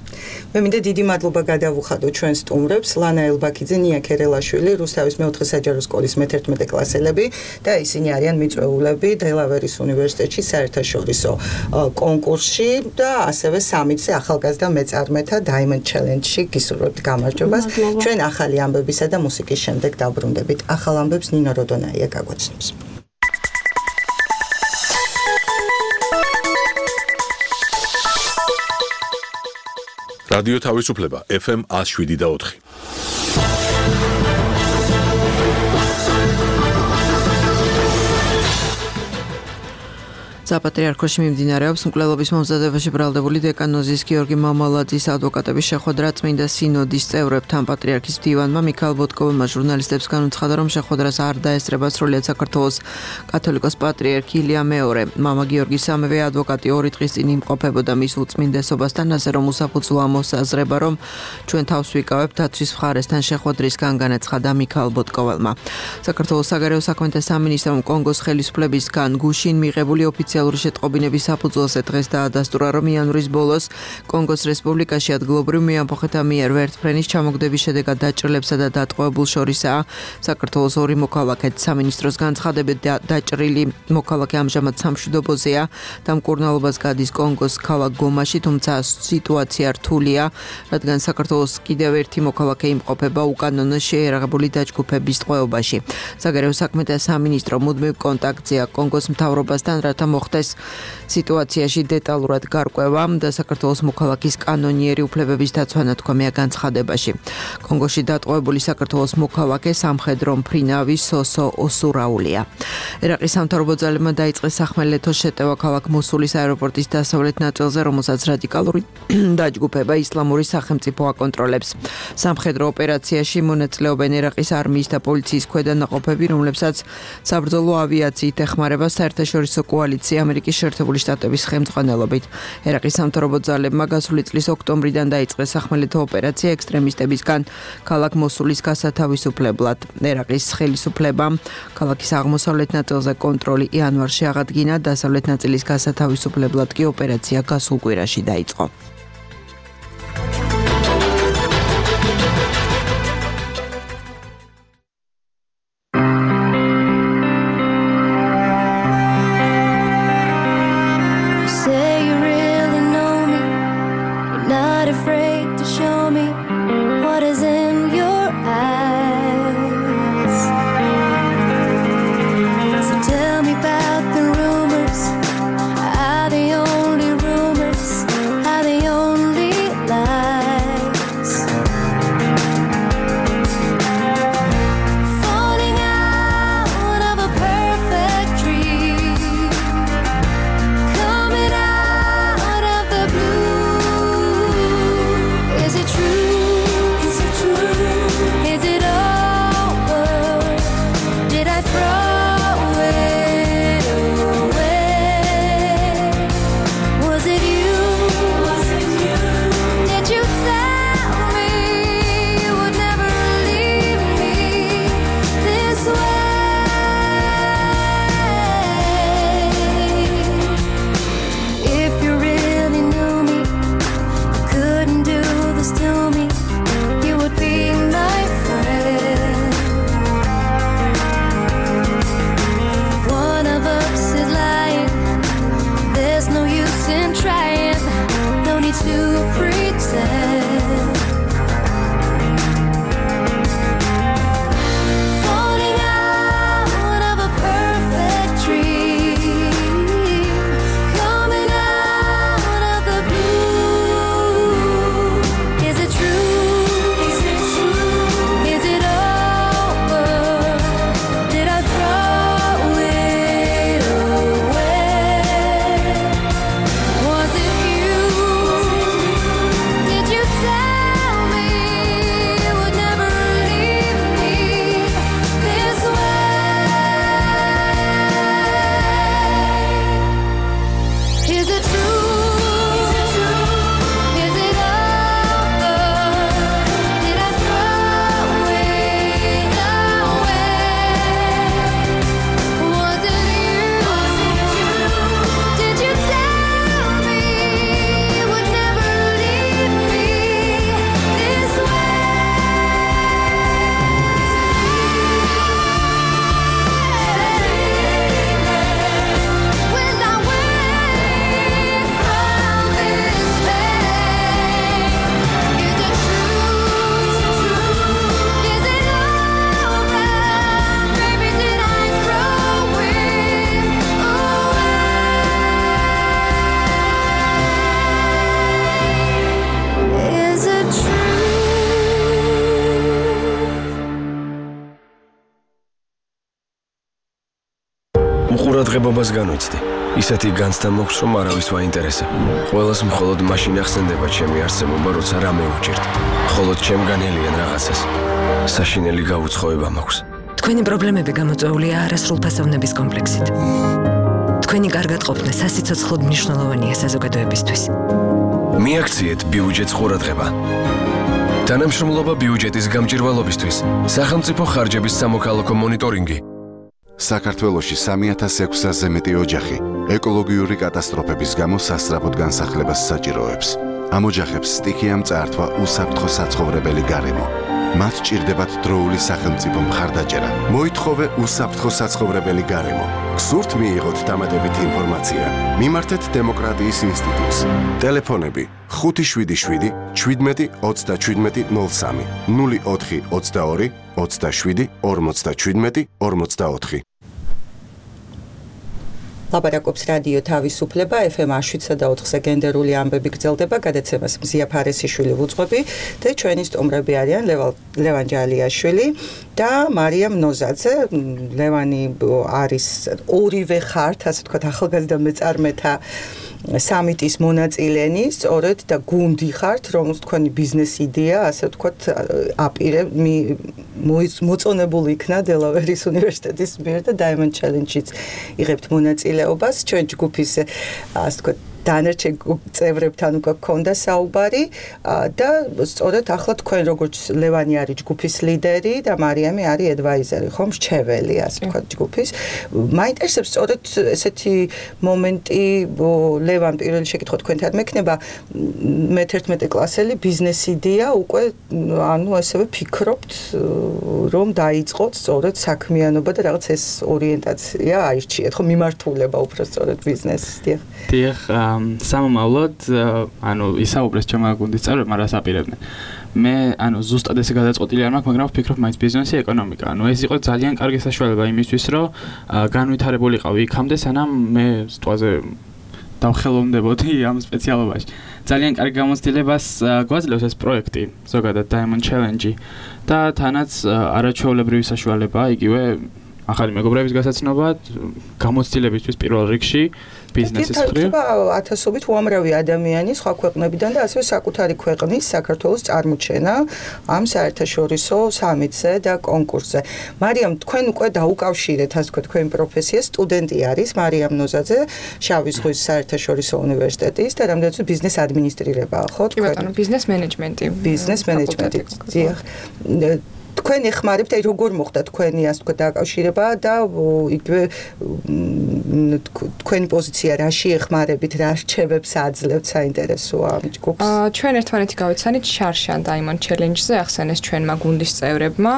მე მინდა დიდი მადლობა გადავუხადო ჩვენ სტუმრებს, ლანა ელბაქიძე, ნია ქერელაშვილი, რუსთავის მეოთხე საჯარო სკოლის მეთერთმეტე კლასელები და ისინი არიან მიწვეულები დელავერის უნივერსიტეტში საერთაშორისო კონკურსში და ასევე სამიცე ახალგაზრდა მეწარმეთა Diamond Challenge-ში გისურვებთ გამარჯვებას. ჩვენ ახალი ამბებისა და მუსიკის შემდეგ დაბრუნდებით. ახალ ამბებს ნინო როდონაია გაგვაცნობს. რადიო თავისუფლება ეფ ემ one oh seven და four. საპატრიარქოში მიმდინარეობს მკვლელობის მომზადებაში ბრალდებული დეკანოზის გიორგი მამალაძის ადვოკატების შეხვედრა წმინდა სინოდის წევრებთან. პატრიარქის მდივანმა მიქაელ ბოტკოვმა ჟურნალისტებს განუცხადა, რომ შეხვედრას არ დაესწრება სრულიად საქართველოს კათოლიკოს პატრიარქი ილია მეორე. მამა გიორგი სამივე ადვოკატი ორი დღის წინ იმყოფებოდა მის უწმინდესობასთან, ასე რომ უსაფუძვლო მოსაზრება, რომ ჩვენ თავს ვიკავებთ დაცვის მხარესთან შეხვედრისგან, განაცხადა მიქაელ ბოტკოველმა. საქართველოს საგარეო საქმეთა სამინისტრომ კონგოს ხელისუფლებისგან გუშინ მიღებული ოფიციალური შეტყობინების საფუძველზე დღეს დაადასტურა, რომ იანვრის ბოლოს კონგოს რესპუბლიკაში ადგილობრივ მეამბოხეთა მიერ ვერტმფრენის ჩამოგდების შედეგად დაჭრილებსა და დატყვევებულ შორისაა საქართველოს ორი მოქალაქე. სამინისტროს განცხადებით დაჭრილი მოქალაქე ამჟამად სამშვიდობოზეა და მკურნალობას გადის კონგოს ქალაქ გომაში, თუმცა სიტუაცია რთულია, რადგან საქართველოს კიდევ ერთი მოქალაქე იმყოფება უკანონო შეერაღებული დაჯგუფების ტყვეობაში. საგარეო საქმეთა სამინისტრო მუდმივ კონტაქტზეა კონგოს მთავრობასთან, რათა მოხდეს სიტუაციაში დეტალურად გარკვევა და საქართველოს მოქალაქის კანონიერი უფლებების დაცვა ნათქვამია განცხადებაში. კონგოში დატყვევებული საქართველოს მოქალაქე სამხედრო მფრინავის სოსო ოსურაულია. ერაყის სამთავრობო ძალებმა დაიწყეს სახმელეთო შეტევა ქალაქ მოსულის აეროპორტის დასავლეთ ნაწილზე, რომელსაც რადიკალური დაჯგუფება ისლამური სახელმწიფო აკონტროლებს. სამხედრო ოპერაციაში მონაწილეობენ ერაყის არმიის და პოლიციის ქვედანაყოფები, რომლებსაც საბრძოლო ავიაციით ეხმარება საერთაშორისო კოალიცია ამერიკის შეერთებული შტატების ხელმძღვანელობით. ერაყის სამთავრობო ძალებმა გასული წლის ოქტომბრიდან დაიწყეს სახმელეთო ოპერაცია ექსტრემისტებისგან ქალაქ მოსულის გასათავისუფლებლად. ერაყის ხელისუფლებამ ქალაქის აღმოსავლეთ ნაწილზე კონტროლი იანვარში აღადგინა, დასავლეთ ნაწილის გასათავისუფლებლად კი ოპერაცია გასულ კვირაში დაიწყო. Away ღებობას განვიცდი. ისეთი განცდა მოხს, რომ არავის ვაინტერესებ. ყველას მხოლოდ მაშინ ახსენდება ჩემი არსებობა, როცა რამე უჭირთ. მხოლოდ ჩემგანელიან რაღაცას. საშინელი გაუცხოება მაქვს. თქვენი პრობლემები გამოწვეულია არასრულფასოვნების კომპლექსით. თქვენი კარგად ყოფნა სასიცოცხლოდ მნიშვნელოვანია საზოგადოებისთვის. მიაქციეთ ბიუჯეტს ყურადღება. თანამშრომლობა ბიუჯეტის გამჭირვალობისთვის. სახელმწიფო ხარჯების სამოქალაქო მონიტორინგი. საქართველოში სამი ათას ექვსასზე მეტი ოჯახი ეკოლოგიური კატასტროფების გამო სასწრაფოდ განსახლებას საჭიროებს. ამ ოჯახებს სტიქიამ წაართვა უსაფრთხო საცხოვრებელი გარემო. მათ ჭირდებათ დროული სახელმწიფო მხარდაჭერა. მოითხოვე უსაფრთხო საცხოვრებელი გარემო. გსურთ მიიღოთ დამატებითი ინფორმაცია? მიმართეთ დემოკრატიის ინსტიტუტს. ტელეფონები ხუთი შვიდი შვიდი შვიდმეტი ოცდაშვიდმეტი ნულ სამი ნული ოთხი ოცდაორი ოცდაშვიდი ორმოცდაშვიდმეტი ორმოცდაოთხი. ლაპარაკობს რადიო თავისუფლება ეფ ემ შვიდსა და ოთხზე გენდერული ამბები გრძელდება, გადაცემას მზია ფარესიშვილი ვუძღვები და ჩვენი სტუმრები არიან ლევან ჯალიაშვილი და მარიამ ნოზაძე. ლევანი არის ორივე ხართ, ასე ვთქვათ, ახალგაზრდა მეწარმეთა სამიტის მონაწილენი, სწორედ და გუნდი ხართ, რომელს თქვენი ბიზნეს იდეა, ასე ვთქვათ, აპირე მოწონებული იქნა დელავერის უნივერსიტეტის მიერ და Diamond Challenge-იც იღებთ მონაწილეობას. ჩვენ ჯგუფის, ასე ვთქვათ, დანარჩენ წევრებთან უკვე გქონდა საუბარი და სწორედ ახლა თქვენ როგორც ლევანი არის ჯგუფის ლიდერი და მარიამი არის ადვაიზერი, ხომ, მრჩეველი, ასე ვთქვათ, ჯგუფის. მაინტერესებს სწორედ ესეთი მომენტი, ლევან, პირველი შეკითხვა თქვენთან მექნება, მეთერთმეტე კლასელი ბიზნეს იდეა უკვე, ანუ ასევე ფიქრობთ, რომ დაიწყოთ სწორედ საქმიანობა და რაღაც ეს ორიენტაცია აირჩიეთ, ხო, მიმართულება უფრო სწორედ ბიზნესს. დიახ. დიახ, სამომავლოდ, ანუ ისაუბრეს ჩემმა გუნდის წევრებმა, რას აპირებდნენ. მე, ანუ ზუსტად ესე გადაწყვეტილი არ მაქვს, მაგრამ ვფიქრობ მაინც ბიზნესი, ეკონომიკა. ანუ ეს იყო ძალიან კარგი საშუალება იმისთვის, რომ განვითარებულიყავი იქამდე, სანამ მე სიტყვაზე დავხელოვნდებოდი ამ სპეციალობაში. ძალიან კარგი გამოცდილებას გვაძლევს ეს პროექტი, ზოგადად Diamond Challenge და თანაც არაჩვეულებრივი საშუალებაა, იგივე ახალი მეგობრების გასაცნობა, გამოცდილებისთვის პირველ რიგში, ბიზნესის მხრივ. ათასობით უამრავი ადამიანი სხვა ქვეყნებიდან და ასევე საკუთარი ქვეყნის საქართველოს წარმოჩენა ამ საერთაშორისო სამიტზე და კონკურსზე. მარიამ, თქვენ უკვე დაუკავშირეთ, ასე ვთქვათ, თქვენი პროფესია, სტუდენტი არის მარიამ ნოზაძე, შავი ზღვის საერთაშორისო უნივერსიტეტის და რამდენიც ბიზნეს ადმინისტრირებაა, ხო? კი ბატონო, ბიზნეს მენეჯმენტი. ბიზნეს მენეჯმენტი. დიახ. თქვენ ეხმარებთ, აი როგორ მოხდა თქვენი, ასე ვთქვათ, დაკავშირება და იგივე თქვენი პოზიცია რაში ეხმარებით, რა რჩევებს აძლევთ, საინტერესოა ამ ჯგუფს. ჩვენ ერთმანეთი გავიცანით შარშან Diamond Challenge-ზე, ახსენეს ჩვენმა გუნდის წევრებმა.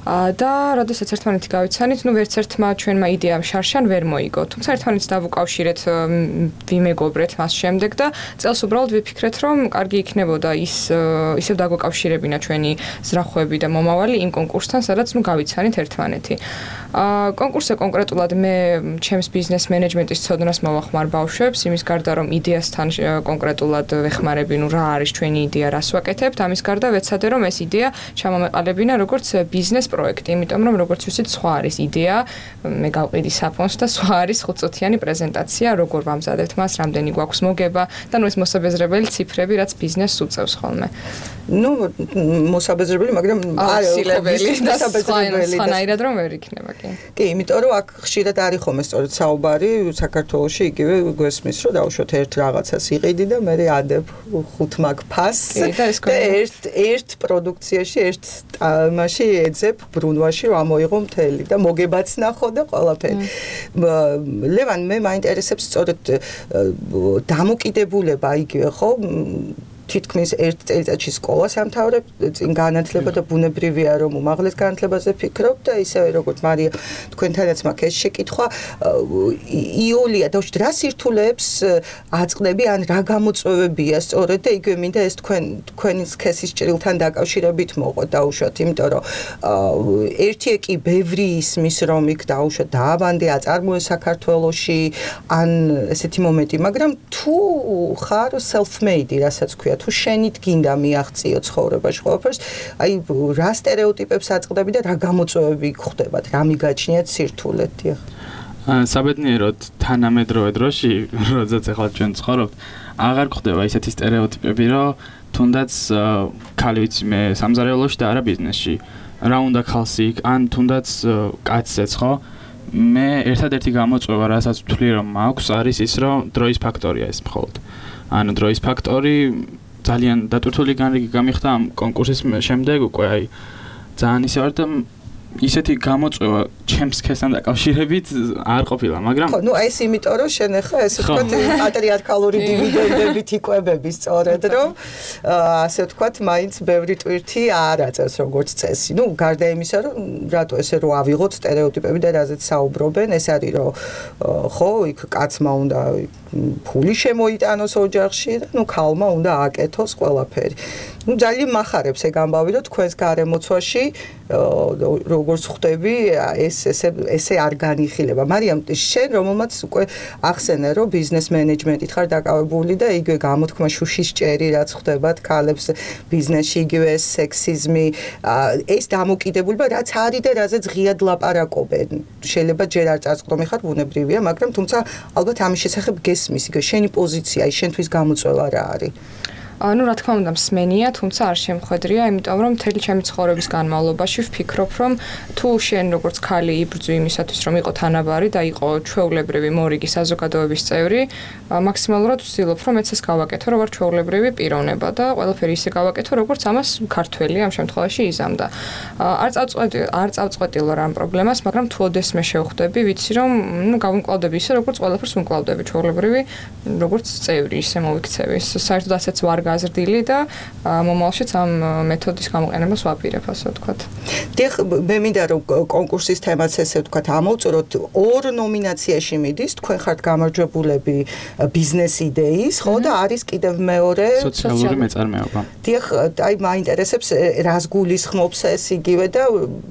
და როდესაც ერთმანეთი გავიცანით, ნუ ვერც ერთმა ჩვენმა იდეამ შარშან ვერ მოიგო. თუმცა ერთმანეთს დავუკავშირეთ, ვიმეგობრეთ მას შემდეგ და წელს უბრალოდ ვიფიქრეთ, რომ კარგი იქნებოდა ის ისევ დაგვეკავშირებინა ჩვენი ზრახვები და მომავალი იმ კონკურსთან, სადაც ნუ გავიცანით ერთმანეთი. კონკურსზე კონკრეტულად მე ჩემს ბიზნეს მენეჯმენტის ცოდნას მოვახმარ ბავშვებს, იმის გარდა რომ იდეასთან კონკრეტულად ვეხმარები, ნუ რა არის ჩვენი იდეა, რას ვაკეთებთ, ამის გარდა ვეცადე რომ ეს იდეა ჩამომეყალებინა როგორც ბიზნეს პროექტი, იმიტომ რომ როგორც ვთქვით, სხვა არის იდეა, მე გავყიდი საფონს და სხვა არის ხუთწუთიანი პრეზენტაცია, როგორ ვამზადებთ მას, რამდენი გვაქვს მოგება და ნუ ეს მოსაბეზრებელი ციფრები, რაც ბიზნესს უწევს ხოლმე. ნუ მოსაბეზრებელი, მაგრამ აუცილებელი და სხვანაირად რომ ვერ იქნება, კი. კი, იმიტომ რომ აქ ხშირად არის ხოლმე სწორედ საუბარი საქართველოში, იგივე გვესმის, რომ დავუშვათ ერთ რაღაცას იყიდი და მე ადებ ხუთ მაგ ფასს და ერთ ერთ პროდუქციაში, ერთ ტალმაში ეძებ ბრუნვაში რომ ამოიღო მთელი და მოგებაც ნახო და ყველაფერი. ლევან, მე მაინტერესებს სწორედ დამოკიდებულება იგივე ხო თითქმის ერთ წელიწადში სკოლას ამთავრებ, წინ განათლება და ბუნებრივია რომ უმაღლეს განათლებაზე ფიქრობ და ისევე როგორც მარია თქვენთანაც მაქვს ეს შეკითხვა, იოლია და რა სირთულეებს აწყდები ან რა გამოწვევებია სწორედ და იგივე მინდა ეს თქვენ თქვენის სქესის ჭრილთან დაკავშირებით მოყოთ დაუშვათ, იმიტომ რომ ერთი კი ბევრი ისმის რომ იქ დაუშვათ დააბანდი აწარმოე საქართველოში ან ესეთი მომენტი, მაგრამ თუ ხარ self-made, რასაც ქვია თუ შენით გინდა მიაღწიო ცხოვრებაში ყველაფერს, აი რა სტერეოტიპებს აწყდები და რა გამოწვევები გხვდებათ, რა მიგაჩნიათ სირთულეთ, დიახ. საბედნიეროდ თანამედროვე დროში, როდესაც ახლა ჩვენ ცხოვრობთ, აღარ გვხდება ისეთი სტერეოტიპები, რომ თუნდაც ქალი ვიცი მე სამზარეულოში და არა ბიზნესში. რა უნდა ქალს იქ, ან თუნდაც კაცსაც, ხო? მე ერთადერთი გამოწვევა, რასაც ვთვლი რომ მაქვს, არის ის, რომ დროის ფაქტორია ეს მხოლოდ. ანუ დროის ფაქტორი ძალიან დატვირთული განრიგი გამიხდა ამ კონკურსის შემდეგ უკვე აი ძალიან ისე ვარ და ისეთი გამოწვევა ჩემს სქესთან დაკავშირებით არ ყოფილა, მაგრამ ხო, ნუ ეს იმიტომ რომ შენ ახლა ესე ვთქვათ პატრიარქალური დივიდენდებით იკვებები სწორედ რომ ასე ვთქვათ მაინც ბევრი ტვირთი არ აწევს როგორც წესი. ნუ გარდა იმისა რომ რატო ესე რომ ავიღოთ სტერეოტიპები და რაზეც საუბრობენ, ეს არის რომ ხო, იქ კაცმა უნდა ფული შემოიტანოს ოჯახში და ნუ ქალმა უნდა აკეთოს ყველაფერი. ნუ ძალიან მახარებს ეგ ამბავი რომ თქვენს გარემოცვაში როგორც ხვდები ეს ესე ესე არ განიხილება. მარიამ შენ რომელმაც უკვე ახსენე რომ ბიზნეს მენეჯმენტით ხარ დაკავებული და იგივე გამოთქმა შუშის ჭერი რაც ხვდებათ ქალებს ბიზნესში იგივე სექსიზმი ეს დამოკიდებულება რაც არის და რაზეც ღიად ლაპარაკობენ. შეიძლება ჯერ არ წარწყდომი ხარ ბუნებრივია, მაგრამ თუმცა ალბათ ამის შესახებ გესმის იგივე შენი პოზიცია, შენთვის გამოწვევა რა არის? ну, რა თქმა უნდა, მსმენია, თუმცა არ შემხედრია, იმიტომ რომ მთელი ჩემი ცხოვრების განმავლობაში ვფიქრობ, რომ თუ შენ როგორც ქალი იბრძვი იმისათვის, რომ იყო თანაბარი და იყო ჩვეულებრივი მორიგი საზოგადოების წევრი, მაქსიმალურად ვცდილობ, რომ მეც ეს გავაკეთო, რომ ვარ ჩვეულებრივი პიროვნება და ყველაფერი ისე გავაკეთო, როგორც ამას ქართველი ამ შემთხვევაში იზამდა. არ წავწყვეტი, არ წავწყვეტი რა ამ პრობლემას, მაგრამ თუ ოდესმე შევხვდები, ვიცი, რომ ну, გავუმკლავდები ისე, როგორც ყველაფერს უმკლავდები ჩვეულებრივი, როგორც წევრი, ისე მოვიქცევი. საერთოდ ასეც ვარ გაზრდილი და მომავალშიც ამ მეთოდის გამოყენებას ვაპირებ, ასე ვთქვათ. დიახ, მე მინდა რომ კონკურსის თემაც ესე ვთქვათ ამოვწუროთ, ორ ნომინაციაში მიდის, თქვენ ხართ გამარჯვებულები ბიზნეს იდეის, ხო და არის კიდევ მეორე სოციალური მეწარმეობა. დიახ, აი მაინტერესებს რას გულისხმობს ეს იგივე და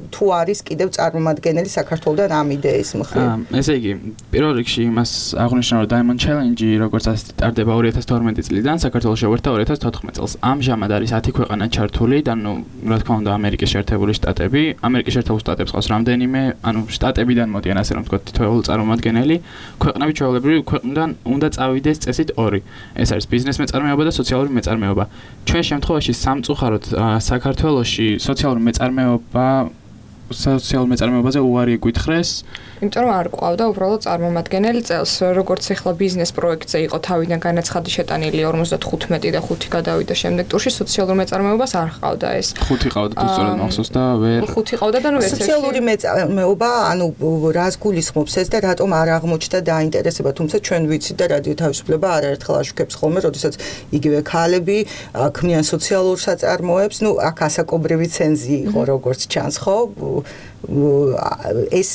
თუ არის კიდევ წარმომადგენელი საქართველოსთან ამ იდეის მხრივ. ესე იგი, პირველ რიგში იმას აღნიშნავ, რომ Diamond Challenge, როგორც ასე ტარდება ორი ათას თორმეტი წლიდან, საქართველოს შევერთა ორი ათას თოთხმეტ წელს. ამჟამად არის ათი ქვეყანა ჩართული და ნუ რა თქმა უნდა ამერიკის შეერთებული შტატები, ამერიკის შეერთებულ შტატებს ყავს რამდენიმე, ანუ შტატებიდან მოდიან ასე რომ ვთქვათ თითოეული წარმომადგენელი, ქვეყნები ჩვეულებრივი ქვეყნიდან უნდა წავიდეს წესით ორი. ეს არის ბიზნეს მეწარმეობა და სოციალური მეწარმეობა. ჩვენ შემთხვევაში სამწუხაროდ საქართველოში სოციალური მეწარმეობა სოციალურ მეწარმეობაზე უარი გვითხრეს, იმიტომ რომ არ ყავდა უბრალოდ წარმომადგენელი წელს, როგორც ახლა ბიზნეს პროექტზე იყო თავიდან განაცხადი შეტანილი ორმოცდათხუთმეტი და ხუთი გადავიდა შემდეგ ტურში, სოციალურ მეწარმეობას არ ყავდა ეს. ხუთი ყავდა თუ სწორად მახსოვს და ვერ ხუთი ყავდა და ნუ ერთ-ერთი სოციალური მეწარმეობა, ანუ რას გულისხმობს ეს და რატომ არ აღმოჩნდა დაინტერესება, თუმცა ჩვენ ვიცით და რადიო თავისუფლება არაერთხელ აშუქებს ხოლმე, როდესაც იგივე ქალები ქმნიან სოციალურ საწარმოებს, ნუ აქ ასაკობრივი ცენზი იყო როგორც ჩანს, ხო? ეს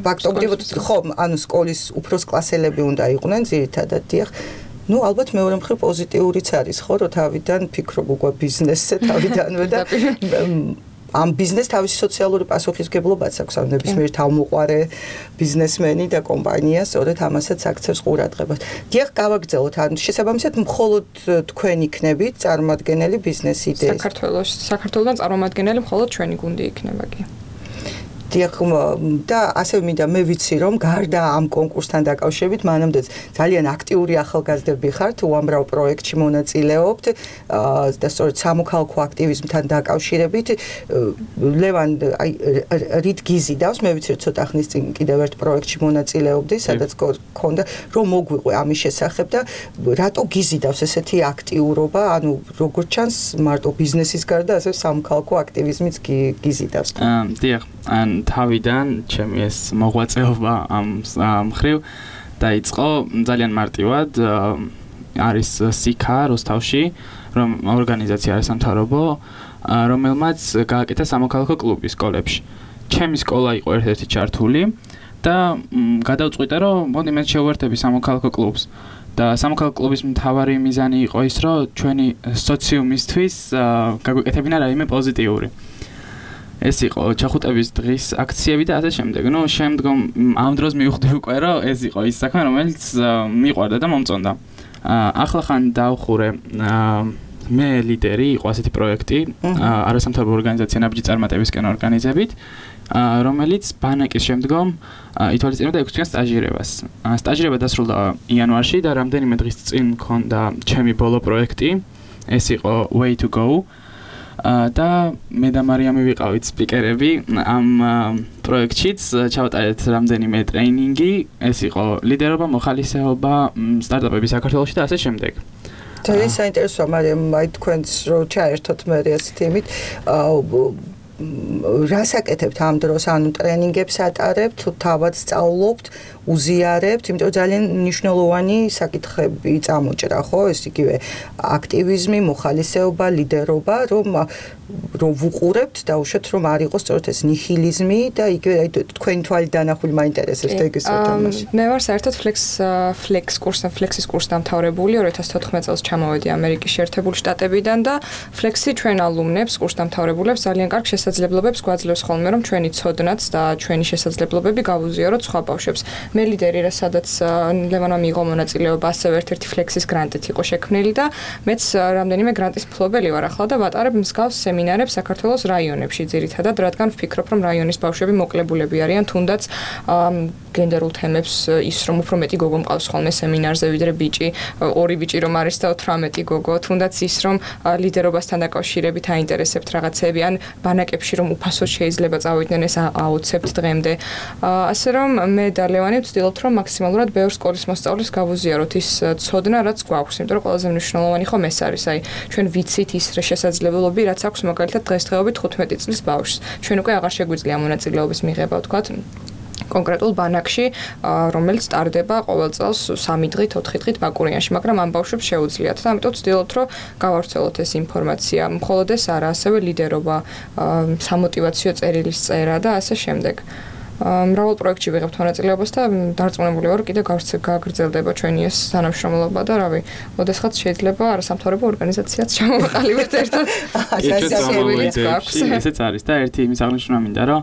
ფაქტობრივად ხო, ანუ სკოლის უფროს კლასელები უნდა იყვნენ ძირითადად, დიახ. ну, ალბათ მეორე მხრივ პოზიტიურიც არის, ხო, რომ თავიდან ფიქრობ უკვე ბიზნესზე თავიდანვე და ამ ბიზნეს თავისი სოციალური პასუხისმგებლობაც აქვს, ან ნებისმიერ თავმოყარე ბიზნესმენი და კომპანია სწორედ ამასაც აქცევს ყურადღებას. დიახ, გავაგრძელოთ, ან შესაბამისად მხოლოდ თქვენ იქნებით წარმომადგენელი ბიზნეს იდეის. საქართველოს, საქართველოსთან წარმომადგენელი მხოლოდ ჩვენი გუნდი იქნება კი. დიახ, და ასე მინდა მე ვიცი რომ გარდა ამ კონკურსთან დაკავშირებით მანამდეც ძალიან აქტიური ახალგაზრდები ხართ, უამრავ პროექტში მონაწილეობთ და სწორედ სამოქალაქო აქტივიზმთან დაკავშირებით ლევან აი რით გიზიდავს, მე ვიცი რომ ცოტა ხნის წინ კიდევ ერთ პროექტში მონაწილეობდი, სადაც გქონდა რომ მოგვიყვე ამის შესახებ და რატო გიზიდავს ესეთი აქტიურობა, ანუ როგორც ჩანს მარტო ბიზნესის გარდა ასევე სამოქალაქო აქტივიზმიც გიზიდავს. დიახ, ან თავიდან ჩემი ეს მოღვაწეობა ამ მხრივ დაიწყო ძალიან მარტივად, არის სიქა როსტავში, რომ ორგანიზაცია არის სამთავრობო, რომელმაც გააკეთა სამოქალაქო კლუბი სკოლებში. ჩემი სკოლა იყო ერთ-ერთი ჩართული და გადავწყვიტე, რომ მოდი მე შევერთები სამოქალაქო კლუბს. და სამოქალაქო კლუბის მთავარი მიზანი იყო ის, რომ ჩვენი სოციუმისთვის გაგვეკეთებინა რაიმე პოზიტიური. ეს იყო ჩახუტების დღის აქციები და ასე შემდეგ. ნუ შემდგომ ამ დროს მივხვდი უკვე რომ ეს იყო ის საქმე, რომელიც მიყვარდა და მომწონდა. ახლა ხან დავხურე მე ლიდერი იყო ასეთი პროექტი, არასამთავრობო ორგანიზაცია ნაბიჯი წარმატებისკენ ორგანიზებით. რომელიც ბანაკის შემდგომ ითვალისწინებდა ექვსი თვიან სტაჟირებას. სტაჟირება დასრულდა იანვარში და რამდენიმე დღის წინ მქონდა ჩემი ბოლო პროექტი, ეს იყო Way to Go. და მე და მარიამი ვიყავით სპიკერები ამ პროექტშიც, ჩავატარეთ რამდენიმე ტრეინინგი, ეს იყო ლიდერობა, მოხალისეობა სტარტაპების საქართველოში და ასე შემდეგ. ძალიან საინტერესოა, მარიამ, აი თქვენს რო ჩაერთოთ მე ეს თემით, რას აკეთებთ ამ დროს, ანუ ტრენინგებს ატარებთ, თუ თავად სწავლობთ, უზიარებთ, იმიტომ რომ ძალიან მნიშვნელოვანი საკითხები წამოჭრა, ხო, ეს იგივე აქტივიზმი, მოხალისეობა, ლიდერობა, რომ რომ ვუყურებთ და უშოთ რომ არ იყოს სწორედ ეს ნიჰილიზმი და იგივე აი თქვენი თვალით დანახული მაინტერესებს და ეგეც თემაში. მე ვარ საერთოდ ფლექს ფლექს კურსთან, ფლექსის კურს დამთავრებული, ორი ათას თოთხმეტ წელს ჩამოვედი ამერიკის შეერთებული შტატებიდან და ფლექსი ჩვენ ალუმნებს, კურს დამთავრებულებს ძალიან კარგ შესაძლებლობებს გვაძლევს ხოლმე, რომ ჩვენი ცოდნაც და ჩვენი შესაძლებლობები გავუზიაროთ სხვა ბავშვებს. მე ლიდერი რა სადაც ლევანმა მიიღო მონაწილეობა, ასევე ერთ-ერთი ფლექსის გრანტით იყო შექმნილი და მეც რამდენიმე გრანტის მფლობელი ვარ ახლა და ვატარებ მსგავს სემინარებს საქართველოს რაიონებში ძირითადად, რადგან ვფიქრობ, რომ რაიონის ბავშვები მოკლებულები არიან თუნდაც გენდერულ თემებს, ის რომ უფრო მეტი გოგო მყავს ხოლმე სემინარზე ვიდრე ბიჭი, ორი ბიჭი რომ არის და ოცდაათი გოგო, თუნდაც ის რომ ლიდერობასთან დაკავშირებით აინტერესებთ რაღაცები, ან ბანაკებში რომ უფასოდ შეიძლება წავიდნენ, ეს აუცებთ დღემდე. ასე რომ მე და ლევანი ვცდილობთ, რომ მაქსიმალურად ბევრ სკოლის მოსწავლეს გავუზიაროთ ის ცოდნა, რაც გვაქვს, იმიტომ რომ ყველაზე მნიშვნელოვანი ხომ ეს არის, აი ჩვენ ვიცით ის შესაძლებლობები, რაც აქვს მაგალითად დღესდღეობით თხუთმეტი წლის ბავშვს. ჩვენ უკვე აღარ შეგვიძლია მონაწილეობის მიღება, ვთქვათ, კონკრეტულ ბანაკში, რომელიც ტარდება ყოველ წელს სამი დღით, ოთხი დღით ბაკურიანში, მაგრამ ამ ბავშვებს შეუძლიათ და ამიტომ ვცდილობთ, რომ გავავრცელოთ ეს ინფორმაცია. მხოლოდ ეს არა, ასევე ლიდერობა, სამოტივაციო წერილის წერა და ასე შემდეგ. მრავალ პროექტში ვიღებთ მონაწილეობას და დარწმუნებული ვარ, კიდევ გაგრძელდება ჩვენი ეს თანამშრომლობა და რავი, ოდესღაც შეიძლება არასამთავრობო ორგანიზაციაც ჩამოვაყალიბებთ ერთად. ესეც არის და ერთი იმის აღნიშნა მინდა, რომ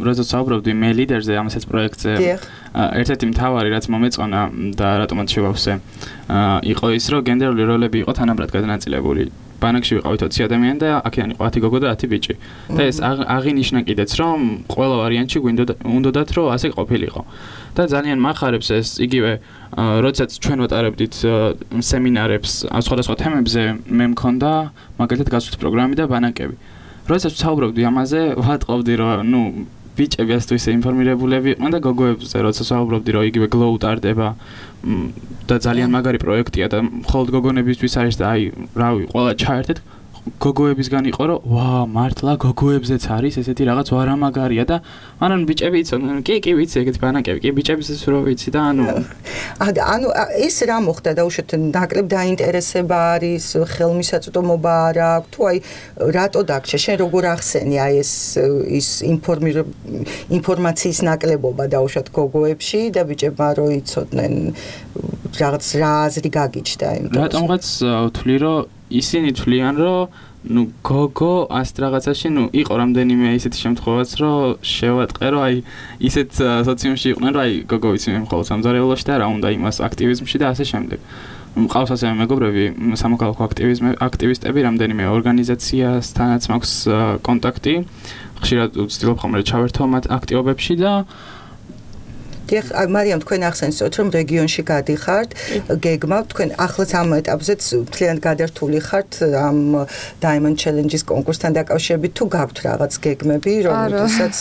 როდესაც საუბრობდი მე ლიდერზე ამასაც პროექტზე, ერთ-ერთი მთავარი რაც მომეწონა და რატომაც შევავსე, იყო ის, რომ გენდერული როლები იყო თანაბრად გადანაწილებული. ბანაკში ვიყავით ოცი ადამიანი და აქედან იყო ათი გოგო და ათი ბიჭი. და ეს აღინიშნა კიდეც, რომ ყველა ვარიანტში უნდათ რომ ასე ყოფილიყო. და ძალიან მახარებს ეს იგივე, როდესაც ჩვენ ვატარებდით სემინარებს სხვადასხვა თემებზე, მე მქონდა მაგალითად გასვლის პროგრამები და ბანაკები. როდესაც ვსაუბრობდი ამაზე, ვატყობდი რომ ნუ ბიჭები ასე თუ ისე ინფორმირებულები იყვნენ და გოგოებზე, როდესაც ვსაუბრობდი რომ იგივე გლოუ ტარდება და ძალიან მაგარი პროექტია და მხოლოდ გოგონებისთვის არის და აი, რავი, ყველა ჩაერთეთ გოგოებისგან იყო რომ ვა, მართლა გოგოებზეც არის ესეთი რაღაც ვარამაგარია და მანან ბიჭები იცოდნენ, კი, კი ვიცი, ეგეთი ბანაკები, კი, ბიჭებისთვის რო ვიცი და ანუ ანუ ეს რა მოხდა და უშოთ ნაკლებ დაინტერესება არის, ხელმისაწვდომობა არ აქვს, თუ აი რატო დაგჭე, შენ როგორ ახსენი აი ეს ის ინფორმაციის ნაკლებობა და უშოთ გოგოებში და ბიჭებმა რო იცოდნენ რაღაც რა აზრი გაგიჩნდა იმიტომ რატომღაც ვთვლი რომ ისინი თვლიან რომ ნუ გოგო ასეთ რაღაცაში ნუ იყო რამდენიმე ისეთი შემთხვევაც რომ შევატყე რომ აი ისეთ სოციუმში იყვნენ რომ აი გოგო ვიცი მე მხოლოდ სამზარეულოში და რა უნდა იმას აქტივიზმში და ასე შემდეგ. მყავს ასევე მეგობრები სამოქალაქო აქტივისტები რამდენიმე ორგანიზაციასთანაც მაქვს კონტაქტი. ხშირად ვცდილობ ხოლმე ჩავერთო მათ აქტივობებში და დიახ, მარიამ, თქვენ ახსენეთ, რომ რეგიონში გადიხართ, გეგმავთ, თქვენ ახლაც ამ ეტაპზეც მთლიანად გადართული ხართ ამ Diamond Challenge-ის კონკურსთან დაკავშირებით, თუ გაქვთ რაღაც გეგმები, რომელთაც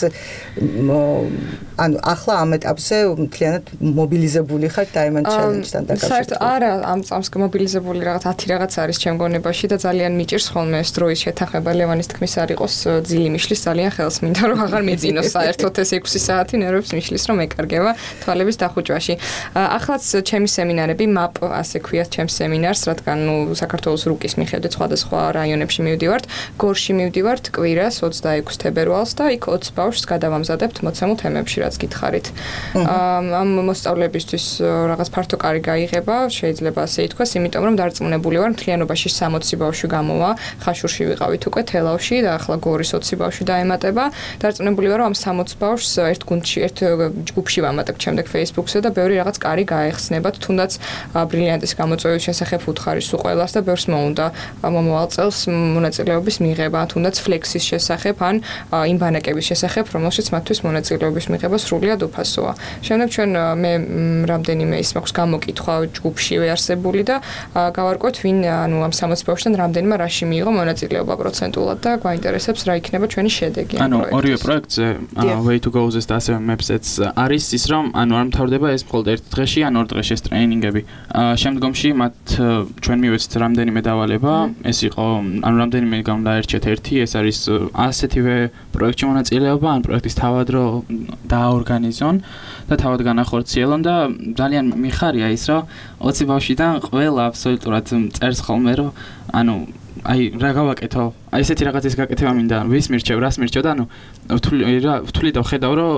ანუ ახლა ამ ეტაპზე მთლიანად მობილიზებული ხართ Diamond Challenge-თან დაკავშირებით. საერთოდ არა, ამ წამს მობილიზებული რაღაც ათი რაღაც არის ჩემ გონებაში და ძალიან მიჭირს ხოლმე ეს დროის შეთანხმება ლევანის თქმის არ იყოს ძილი მიშლის ძალიან ხელს მინდა რომ აღარ მეძინოს საერთოდ ეს ექვსი საათი ნერვებს მიშლის რომ ეკარგება თვალების დახუჭვაში. ახლაც ჩემი სემინარები მაპ ასე ქვიათ ჩემს სემინარს, რადგან ნუ საქართველოს რუკის მიხედვით სხვადასხვა რაიონებში მივდივართ, გორში მივდივართ კვირას ოცდაექვსი თებერვალს და იქ ოცი ბავშვს გადავამზადებთ მოცემულ თემებში, რაც გითხარით. ამ მოსწავლებისთვის რაღაც ფართო კარი გაიღება, შეიძლება ასე ითქვას, იმიტომ რომ დარწმუნებული ვარ, მთლიანობაში სამოცი ბავშვი გამოვა, ხაშურში ვიყავით უკვე თელავში და ახლა გორის ოცი ბავშვი დაემატება. დარწმუნებული ვარ, რომ ამ სამოცი ბავშვს ერთ გუნდში, ერთ ჯგუფში ვამატებ დავამატებთ შემდეგ Facebook-ზე და ბევრი რაღაც კარი გაეხსნებათ, თუნდაც ბრილიანტის გამოწვევის შესახებ უთხარი სულ ყველას და ბევრს მოუნდა მომავალ წელს მონაწილეობის მიღება, თუნდაც Flex-ის შესახებ ან იმ ბანაკების შესახებ, რომელშიც მათთვის მონაწილეობის მიღება სრულიად უფასოა. შემდეგ ჩვენ მე რამდენიმე ის მაქვს გამოკითხვა ჯგუფშივე არსებული და გავარკვევთ ვინ ანუ ამ სამოცი ბავშვიდან რამდენმა რაში მიიღო მონაწილეობა პროცენტულად და გვაინტერესებს რა იქნება ჩვენი შედეგი. ანუ ორივე პროექტზე Way to Go-ზე და ასევე Maps-იც არის ის რომ ანუ არ მთავრდება ეს მხოლოდ ერთ დღეში ან ორ დღეში ეს ტრეინინგები. შემდგომში მათ ჩვენ მივეცეთ რამდენიმე დავალება, ეს იყო ანუ რამდენიმე გამოდაერჩეთ ერთი, ეს არის ასეთივე პროექტში მონაწილეობა ან პროექტის თავად რო დააორგანიზონ და თავად განახორციელონ და ძალიან მიხარია ის რომ ოცი ბავშვიდან ყველა აბსოლუტურად წერს ხოლმე რომ ანუ აი რა გავაკეთო აი ესეთი რაღაცის გაკეთება მინდა ვის მირჩევ რას მირჩევ და ანუ ვთვლი და ვხედავ რომ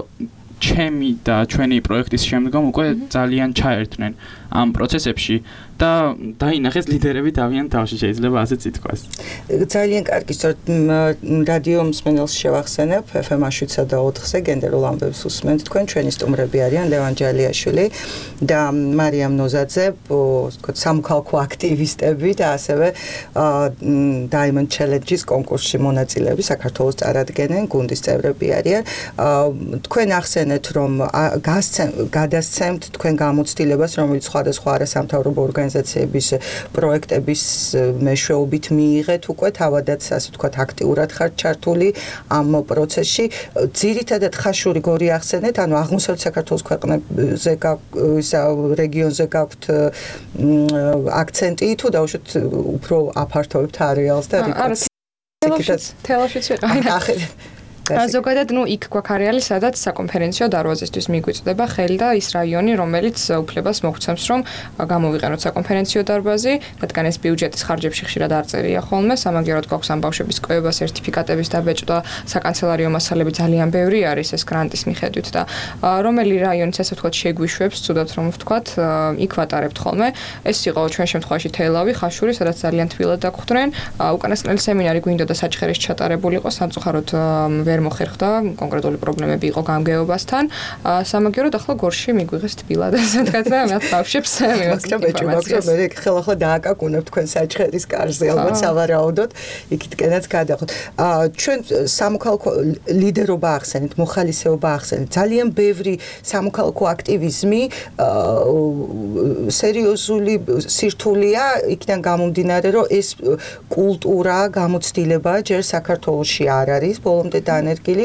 ჩემი და ჩვენი პროექტის შემდგომ უკვე ძალიან ჩაერთვნენ ამ პროცესებში და დაინახეს ლიდერები დავიან თავში შეიძლება ასეც ითქვას. ძალიან კარგი, სწორედ რადიო მსმენელს შევახსენებ ეფ ემ შვიდსა და ოთხზე გენდერულ ამბებს უსმენთ თქვენ ჩვენი სტუმრები არიან ლევან ჯალიაშვილი და მარიამ ნოზაძე, ვთქვათ სამოქალაქო აქტივისტები და ასევე Diamond Challenge-ის კონკურსში მონაწილეები საქართველოს წარადგენენ, გუნდის წევრები არიან. თქვენ ახსენეთ რომ გადასცემთ თქვენ გამოცდილებას რომელიც სხვადასხვა არასამთავრობო ორგანიზაციების პროექტების მეშვეობით მიიღეთ უკვე თავადაც ასე ვთქვათ აქტიურად ხართ ჩართული ამ პროცესში. ძირითადად ხაშური გორი ახსენეთ, ანუ აღმოსავლეთ საქართველოს ქვეყნებზე რეგიონზე გაქვთ აქცენტი თუ დაუშვათ უფრო აფართოვებთ არეალს და რიკაც. თელაშიც ვიყავი. ზოგადად ნუ იქ გვაქვს არეალი, სადაც საკონფერენციო დარბაზისთვის მიგვიწვდება ხელი და ის რაიონი, რომელიც უფლებას მოგვცემს, რომ გამოვიყენოთ საკონფერენციო დარბაზი, რადგან ეს ბიუჯეტის ხარჯებში ხშირად არ წერია ხოლმე, სამაგიეროდ გვაქვს ამ ბავშვების კვლევა, სერტიფიკატების დაბეჭდა, საკანცელერიო მასალები ძალიან ბევრი არის ეს გრანტის მიხედვით და რომელი რაიონიც ასე ვთქვათ შეგვიშვებს, ცუდად რომ ვთქვათ, იქ ვატარებთ ხოლმე. ეს იყო ჩვენ შემთხვევაში თელავი, ხაშური, სადაც ძალიან თბილად დაგხვდნენ. უკანასკნელი სემინარი გვინდოდა საჩხერის ჩატარებულიყო, სამწუხაროდ ვერ მოხერხდა, კონკრეტული პრობლემები იყო გამგეობასთან. სამაგიეროდ ახლა გორში მიგვიღეს თბილად, ასე ვთქვათ და მათ ბავშვებს მივაწვდით ინფორმაციას. მე ხელახლა დააკაკუნებ თქვენ საჩხერის კარზე, ალბათ სავარაუდოდ, იქითკენაც გადახვდით. ჩვენ სამოქალაქო ლიდერობა ახსენეთ, მოხალისეობა ახსენეთ. ძალიან ბევრი სამოქალაქო აქტივიზმი სერიოზული სირთულეა, იქიდან გამომდინარე, რომ ეს კულტურა, გამოცდილება ჯერ საქართველოში არ არის, ბოლომდე დანერგილი.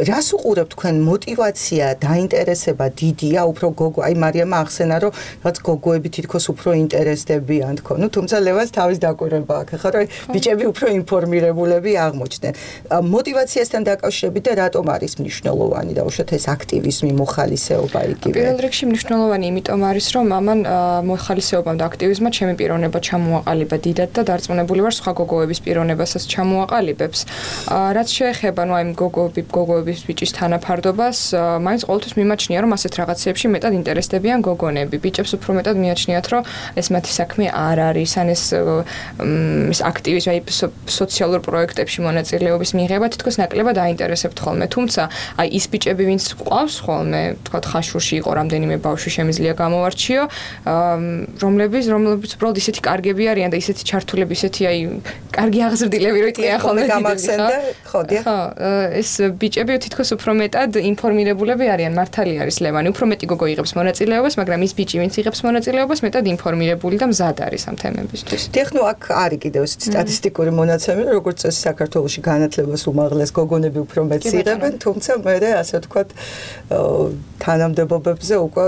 რას უყურებთ თქვენ მოტივაცია, დაინტერესება დიდია, უფრო გოგო, აი მარიამა ახსენა, რომ რაც გოგოები თითქოს უფრო ინტერესდებიან თქო. ნუ თუმცა ლევანს თავის დაკვირვება აქვს, ხო, რომ ბიჭები უფრო ინფორმირებულები აღმოჩნდნენ. მოტივაციასთან დაკავშირებით და რატომ არის მნიშვნელოვანი და უშუალოდ ეს აქტივიზმი, მოხალისეობა იგივე. პირველ რიგში მნიშვნელოვანი იმიტომ არის, რომ ამან მოხალისეობამ და აქტივიზმმა ჩემი პიროვნება ჩამოაყალიბა დიდად და დარწმუნებული ვარ სხვა გოგოების პიროვნებასაც ჩამოაყალიბებს. რაც შეეხება ნუ აი გოგოები, გოგოების ბიჭის თანაფარდობას, მაინც ყოველთვის მიმაჩნია, რომ ასეთ რაღაცებში მეტად ინტერესდებიან გოგონები. ბიჭებს უფრო მეტად მიაჩნიათ, რომ ეს მათი საქმე არ არის, ან ეს ეს აქტივიზმი, აი სოციალურ პროექტებში მონაწილეობის მიღება თითქოს ნაკლებად აინტერესებთ ხოლმე. თუმცა აი ის ბიჭები, ვინც ყავს ხოლმე, თქვათ ხაშურში იყო რამდენიმე ბავშვი შემიძლია გამოვარჩიო, რომლებიც რომლებიც უბრალოდ ისეთი კარგები არიან და ისეთი ჩართულები, ისეთი აი კარგი აღზრდილები რო იყიან ხოლმე გამახსენდა, ხო, დიახ. ეს ბიჭები თითქოს უფრო მეტად ინფორმირებულები არიან, მართალი არის ლევანი, უფრო მეტი გოგო იღებს მონაწილეობას, მაგრამ ის ბიჭი, ვინც იღებს მონაწილეობას, მეტად ინფორმირებული და მზად არის ამ თემებისთვის. დიახ, ნუ აქ არის კიდევ სტატისტიკური მონაცემები, როგორც წესი საქართველოში განათლებას უმაღლეს გოგონები უფრო მეტს იღებენ, თუმცა მე ასე ვთქვათ, თანამდებობებზე უკვე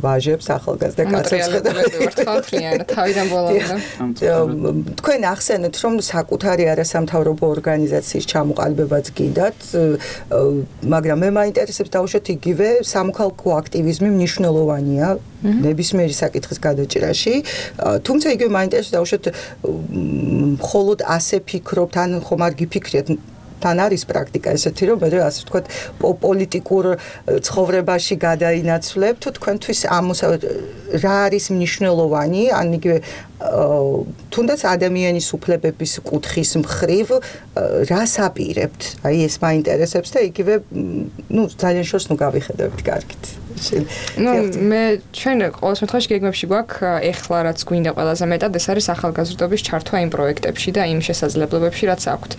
ვაჟებს ახალგაზრდა კაცებს ხედავთ. თავიდან ბოლომდე. თქვენ ახსენეთ, რომ საკუთარი არასამთავრობო ორგანიზაციის ჩამოყალიბებაც გინდათ, მაგრამ მე მაინტერესებს დაუშვათ იგივე სამოქალაქო აქტივიზმი მნიშვნელოვანია ნებისმიერი საკითხის გადაჭრაში, თუმცა იგივე მაინტერესებს დაუშვათ მხოლოდ ასე ფიქრობთ, ან ხომ არ გიფიქრეთ თან არის პრაქტიკა ესეთი, რომ მე ასე ვთქვათ, პოლიტიკურ ცხოვრებაში გადაინაცვლებ, თუ თქვენთვის ამოსავ რა არის მნიშვნელოვანი, ან იგივე თუნდაც ადამიანის უფლებების კუთხის მხრივ რას აპირებთ? აი ეს მაინტერესებს და იგივე, ნუ ძალიან შორს ნუ გავიხედავთ კარგით. ნუ მე ჩვენ ყოველ შემთხვევაში გეგმებში გვაქვს ეხლა რაც გვინდა ყველაზე მეტად ეს არის ახალგაზრდობის ჩართვა იმ პროექტებში და იმ შესაძლებლობებში რაც აქვთ.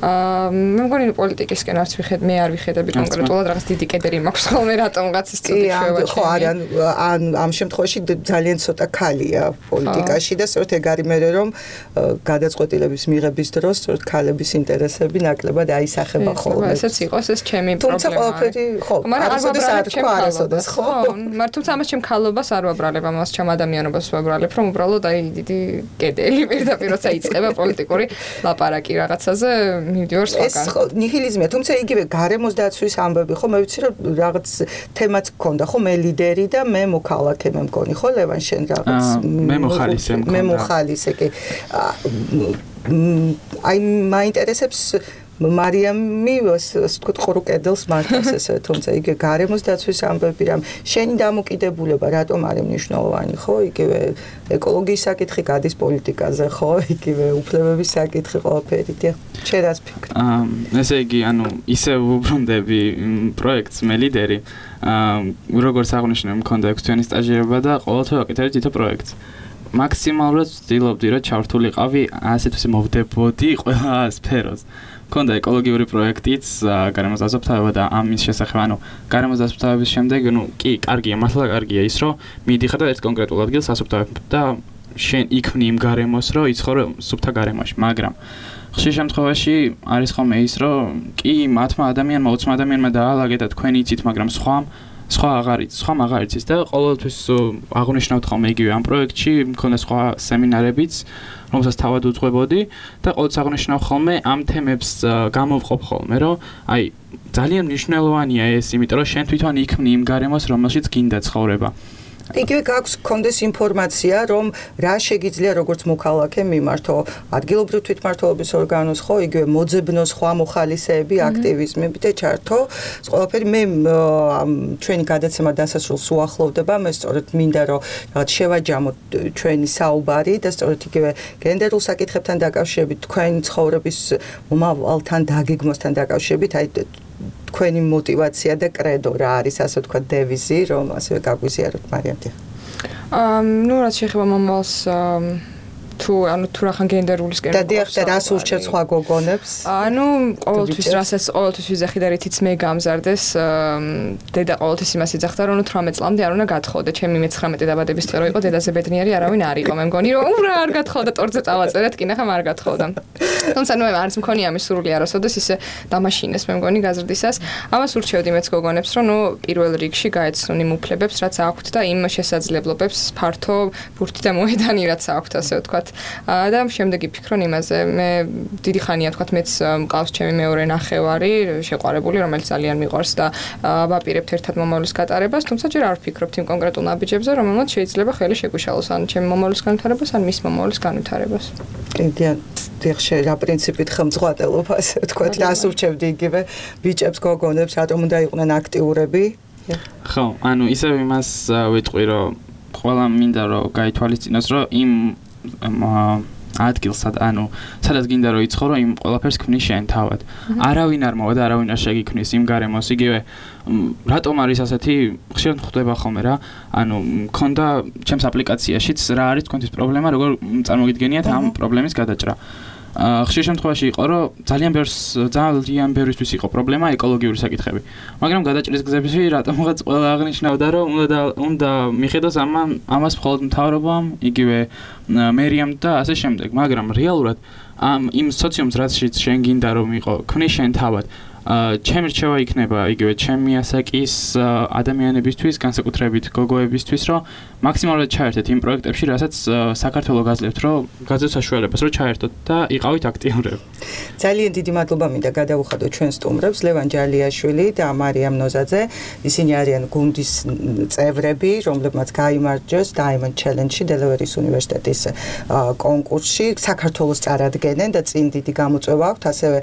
აა მე მგონი პოლიტიკისკენ არც ვიხედ მე არ ვიხედები კონკრეტულად რაღაც დიდი კედერი მაქვს ხოლმე რატომღაც ის ცუდი შევაჩერე. ხო არა ან ამ შემთხვევაში ძალიან ცოტა ქალია პოლიტიკაში და სწორედ ეგ არის მე რომ გადაწყვეტილების მიღების დროს სწორედ ქალების ინტერესები ნაკლებად აისახება ხოლმე. ესეც იყოს ეს ჩემი პრობლემა. თუმცა ყველაფერი ხო არასოდეს არ თქვა არასოდეს ხო. მაგრამ თუმცა ამას ჩემ ქალობას არ ვაბრალებ, ამას ჩემ ადამიანობას ვაბრალებ, რომ უბრალოდ აი დიდი კედელი პირდაპირ როცა იწყება პოლიტიკური ლაპარაკი რაღაცაზე მივდივარ სხვაგან. ეს ნიჰილიზმია, თუმცა იგივე გარემოს დაცვის ამბები ხო მე ვიცი რომ რაღაც თემაც გქონდა ხო მე ლიდერი და მე მოქალაქე მე მგონი ხო ლევან შენ რაღაც მე მოხალისე მქონდა. მე მოხალისე კი აი მაინტერესებს მარიამი ასე ვთქვათ ყორო კედელს მართავს ესე თუმცა იგივე გარემოს დაცვის ამბები რამ შენი დამოკიდებულება რატომ არის მნიშვნელოვანი ხო იგივე ეკოლოგიის საკითხი გადის პოლიტიკაზე ხო იგივე უფლებების საკითხი ყველაფერი და შენ რას ფიქრობ? აა ესე იგი ანუ ისე ვუბრუნდები პროექტს მე ლიდერი აა როგორც აღნიშნე მქონდა ექვსი თვიანი სტაჟირება და ყოველთვის ვაკეთებდი თითო პროექტს. მაქსიმალურად ვცდილობდი რომ ჩავრთულიყავი ასეთ ისე მოვდებოდი ყველა სფეროს. მქონდა ეკოლოგიური პროექტიც, გარემოს დასაფლავება და ამის შესახებ, ანუ გარემოს დასაფლავების შემდეგ, ну, კი, კარგია, მართლა კარგია ის, რომ მიდიხარ და ერთ კონკრეტულ ადგილს ასუფთავებ და შენ იქმნი იმ გარემოს, რომ იცხოვრო სუფთა გარემოში, მაგრამ ხშირ შემთხვევაში არის ხოლმე ის, რომ კი, მათმა ადამიანმა, ოცმა ადამიანმა დაალაგე და თქვენ იცით, მაგრამ სხვამ სხვა აღარ იცის, სხვა აღარ იცის და ყოველთვის აღნიშნავთ ხოლმე იგივე ამ პროექტში, მქონდა სხვა სემინარებიც, რომელსაც თავად უძღვებოდი და ყოველთვის აღნიშნავ ხოლმე ამ თემებს გამოვყოფ ხოლმე, რომ აი ძალიან მნიშვნელოვანია ეს, იმიტომ რომ შენ თვითონ იქმნი იმ გარემოს, რომელშიც გინდა ცხოვრება. იგივე გაქვს კონდეს ინფორმაცია, რომ რა შეგიძლია როგორც მოქალაქე მიმართო ადგილობრივ თვითმმართველობის ორგანოს, ხო, იგივე მოძებნო სხვა მოხალისეები, აქტივიზმები და ჩართო. ყველაფერი მე ჩვენი გადაცემა დასასრულს უახლოვდება, მე სწორედ მინდა რომ რაღაც შევაჯამოთ ჩვენი საუბარი და სწორედ იგივე გენდერულ საკითხებთან დაკავშირებით, თქვენი ცხოვრების მომავალთან დაგეგმოსთან დაკავშირებით, აი თქვენი мотивация და კრედო რა არის ასე ვთქვათ დევიზი რომ ასე გაგვიზიაროთ მარიამ დიახ. აა ნუ რაც შეეხება მომავალს თუ ანუ თუ რახან გენდერულისკენ და დიახ და რას ურჩევ სხვა გოგონებს? ანუ ყოველთვის რასაც ყოველთვის ვიზახი და რითიც მე გამზარდეს დედა ყოველთვის იმას იძახდა რომ თვრამეტ წლამდე არ უნდა გათხოვდე ჩემი მეცხრამეტე დაბადების დღე რო იყო დედაზე ბედნიერი არავინ არ იყო მე მგონი რომ ურა არ გათხოვდა ტორტზე წავაწერეთ კი ნახე არ გათხოვდა თუმცა ნუ არც მქონია ამის სურვილი არასოდეს ისე დამაშინეს მე მგონი გაზრდისას ამას ურჩევდი მეც გოგონებს რომ ნუ პირველ რიგში გაეცნონ იმ უფლებებს რაც აქვთ და იმ შესაძლებლობებს ფართო ბურთი და მოედანი რაც აქვთ ასე ვთქვათ და შემდეგი ფიქრობ იმაზე მე დიდი ხანია თქვათ მეც მყავს ჩემი მეორე ნახევარი შეყვარებული რომელიც ძალიან მიყვარს და ვაპირებთ ერთად მომავლის გატარებას თუმცა ჯერ არ ვფიქრობთ იმ კონკრეტულ ნაბიჯებზე რომელმაც შეიძლება ხელი შეგვიშალოს ან ჩემი მომავლის განვითარებას ან მის მომავლის განვითარებას კიდე დიახშე რა პრინციპით ხელმძღვანელობა ასე ვთქვათ რას ურჩევდი იგივე ბიჭებს გოგონებს რატომ უნდა იყვნენ აქტიურები ხო ანუ ისევ იმას ვიტყვი რომ ყველა მინდა რომ გაითვალისწინოს რომ იმ ადგილს ანუ სადაც გინდა რომ იცხოვრო იმ ყველაფერს ქმნის შენ თავად. არავინ არ მოვა და არავინ არ შეგიქმნის იმ გარემოს იგივე რატომ არის ასეთი ხშირად ხდება ხოლმე რა ანუ მქონდა ჩემს აპლიკაციაშიც რა არის თქვენთვის პრობლემა როგორ წარმოგიდგენიათ ამ პრობლემის გადაჭრა. ხშირ შემთხვევაში იყო რომ ძალიან ბევრს ძალიან ბევრისთვის იყო პრობლემა ეკოლოგიური საკითხები. მაგრამ გადაჭრის გზებში რატომღაც ყველა აღნიშნავდა რომ უნდა უნდა მიხედოს ამან ამას მხოლოდ მთავრობამ იგივე მერიამ და ასე შემდეგ. მაგრამ რეალურად ამ იმ სოციუმს რაცშიც შენ გინდა რომ იყო ქმნის შენ თავად ჩემი რჩევა იქნება იგივე ჩემი ასაკის ადამიანებისთვის, განსაკუთრებით გოგოებისთვის, რომ მაქსიმალურად ჩაერთეთ იმ პროექტებში, რასაც საქართველოს გაძლევთ, რომ გაძლევთ საშუალებას, რომ ჩაერთოთ და იყავით აქტიურები. ძალიან დიდი მადლობა მინდა გადავუხადოთ ჩვენ სტუმრებს, ლევან ჯალიაშვილი და მარიამ ნოზაძე. ისინი არიან გუნდის წევრები, რომლებმაც გაიმარჯვეს Diamond Challenge-ში დელავერის უნივერსიტეტის კონკურსში, საქართველოს წარადგენენ და წინ დიდი გამოწვევა აქვთ, ასევე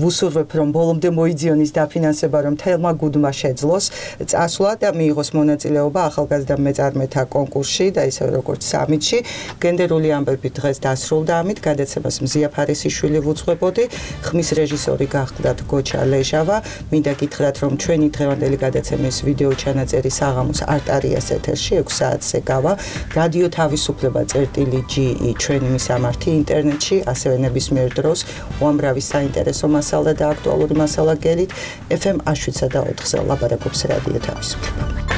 ვუსურვებ, რომ ბოლომდე მოიძიონის დაფინანსება, რომ თელმა გუდმა შეძლოს წასვლა და მიიღოს მონაწილეობა ახალგაზრდა მეწარმეთა კონკურსში და ისევე როგორც სამიტში. გენდერული ამბები დღეს დასრულდა ამით, გადაცემას მზია ფარესიშვილი ვუძღვებოდი, ხმის რეჟისორი გახლდათ გოჩა ლეჟავა. მინდა გითხრათ, რომ ჩვენი დღევანდელი გადაცემის ვიდეო ჩანაწერი საღამოს არტარიას ეთერში ექვს საათზე გავა. რადიო თავისუფლება წერტილი ჯი ი ჩვენი მისამართი ინტერნეტში, ასევე ნებისმიერ დროს უამრავი საინტერესო მასალა და აქტუალური მასალა გელით. ეფ ემ შვიდსა და ოთხზე ლაბარაკობს რადიო თავისუფლება.